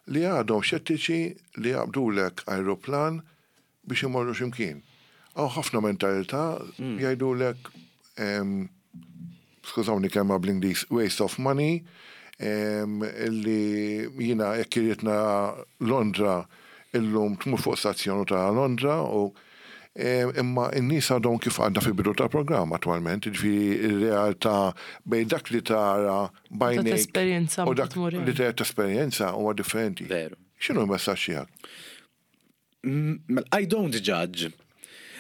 li għadhom xettiċi li jaqbdulek aeroplan biex imorru x'imkien. Hawn ħafna mentalità jgħidulek em, skużawni kelma bl-Ingliż, waste of money, em, illi jiena jekk irrid nara Londra illum tmur fuq stazzjonu ta' Londra u em, imma n-nies għadhom kif għadna fil-bidu ta' programm attualment, ġifieri ir-realtà bejn dak li tara b'għajnejk tesperjenza u dak tmur li tesperjenza huwa differenti. Veru. X'inhu l-messaġġ tiegħek? Mm, Mela, I don't judge.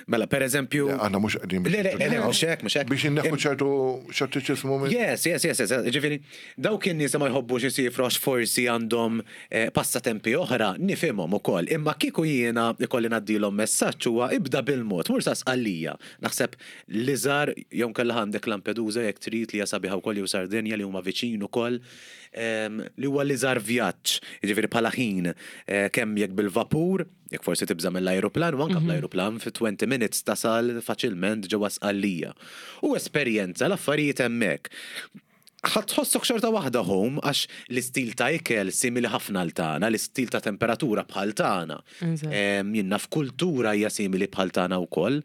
Mela, per eżempju. Aħna mhux qegħdin Le, le, le, le, mhux hekk, mhux hekk. Biex inneħħu ċertu xettiċiżmu minn. Yes, yes, yes, yes. Ġifieri, dawk in-nies li ma jħobbux isifru għax forsi għandhom eh, passatempi oħra, nifhimhom ukoll. Imma kieku jiena ikolli ngħaddilhom messaġġ huwa ibda bil-mod, mur sa Sqallija. Naħseb l-iżgħar jew kellha għandek Lampedusa jekk trid li hija sabiħa wkoll jew Sardenja li huma viċin ukoll em, li huwa l-iżgħar vjaġġ, jiġifieri bħala ħin eh, kemm jekk bil-vapur, jekk forsi tibża mill-ajruplan, u anke bl-ajruplan fi twenty minutes tasal faċilment ġewwa Sqallija. U esperjenza l-affarijiet hemmhekk. Ħa tħossok xorta waħda home għax l-istil ta' ikel simili ħafna għal tagħna, l-istil ta' temperatura bħal tagħna. Eżatt. Em, Jiena f'kultura hija simili bħal tagħna wkoll.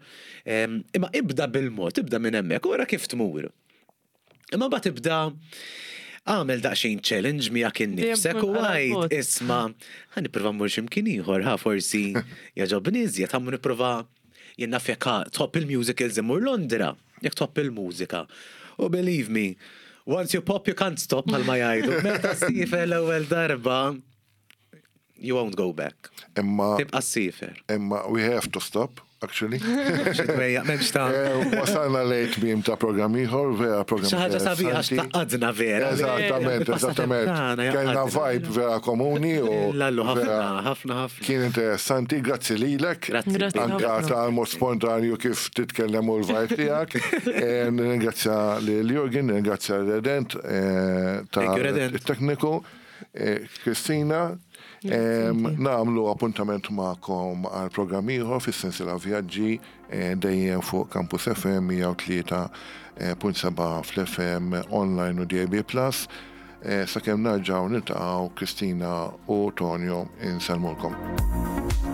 Em, Imma ibda bil-mod, ibda minn hemmhekk, u ara kif tmur. Imma mbagħad ibda għamel daqsxejn challenge miegħek innifsek u tkun għala għajd bot. isma' ħa nipprova mmur x'imkien ieħor, ħa forsi jogħġobni iżjed, ħa nipprova jien naf jekk tħobb il-musicals immur Londra, jekk tħobb il-mużika. U believe me, once you pop you can't stop bħalma jgħidu. Meta ssiefer l-ewwel darba, you won't go back. Imma Tibqa' ssiefer. imma we have to stop, actually. Xi dwejjaq, m'hemmx ta' Eh, Wasalna lejn tmiem ta' programm ieħor, vera programm Xi ħaġa sabiħa għax interessanti. tgħaqqadna vera. Eżattament, eżattament. Kellna vibe vera komuni u Lallu ħafna, vera ħafna, ħafna. kien interessanti, grazzi lilek. Grazzi. Grazzi Anka ħafna. tal-mod spontanju kif titkellem u l-vibe tiegħek. Eh, Nirringrazzja lil Jurgen, nirringrazzja l-Redent eh, ta' Thank you, Redent. il-tekniku, eh, Kristina. Em, Nagħmlu appuntament magħkom għal programm ieħor fis-sensiela vjaġġi eh, dejjem fuq Campus F M mija u tlieta punt sebgħa fl-F M online u D A B plus. Eh, Sakemm nerġgħu niltaqgħu, Kristina u Tonio insellmulkom.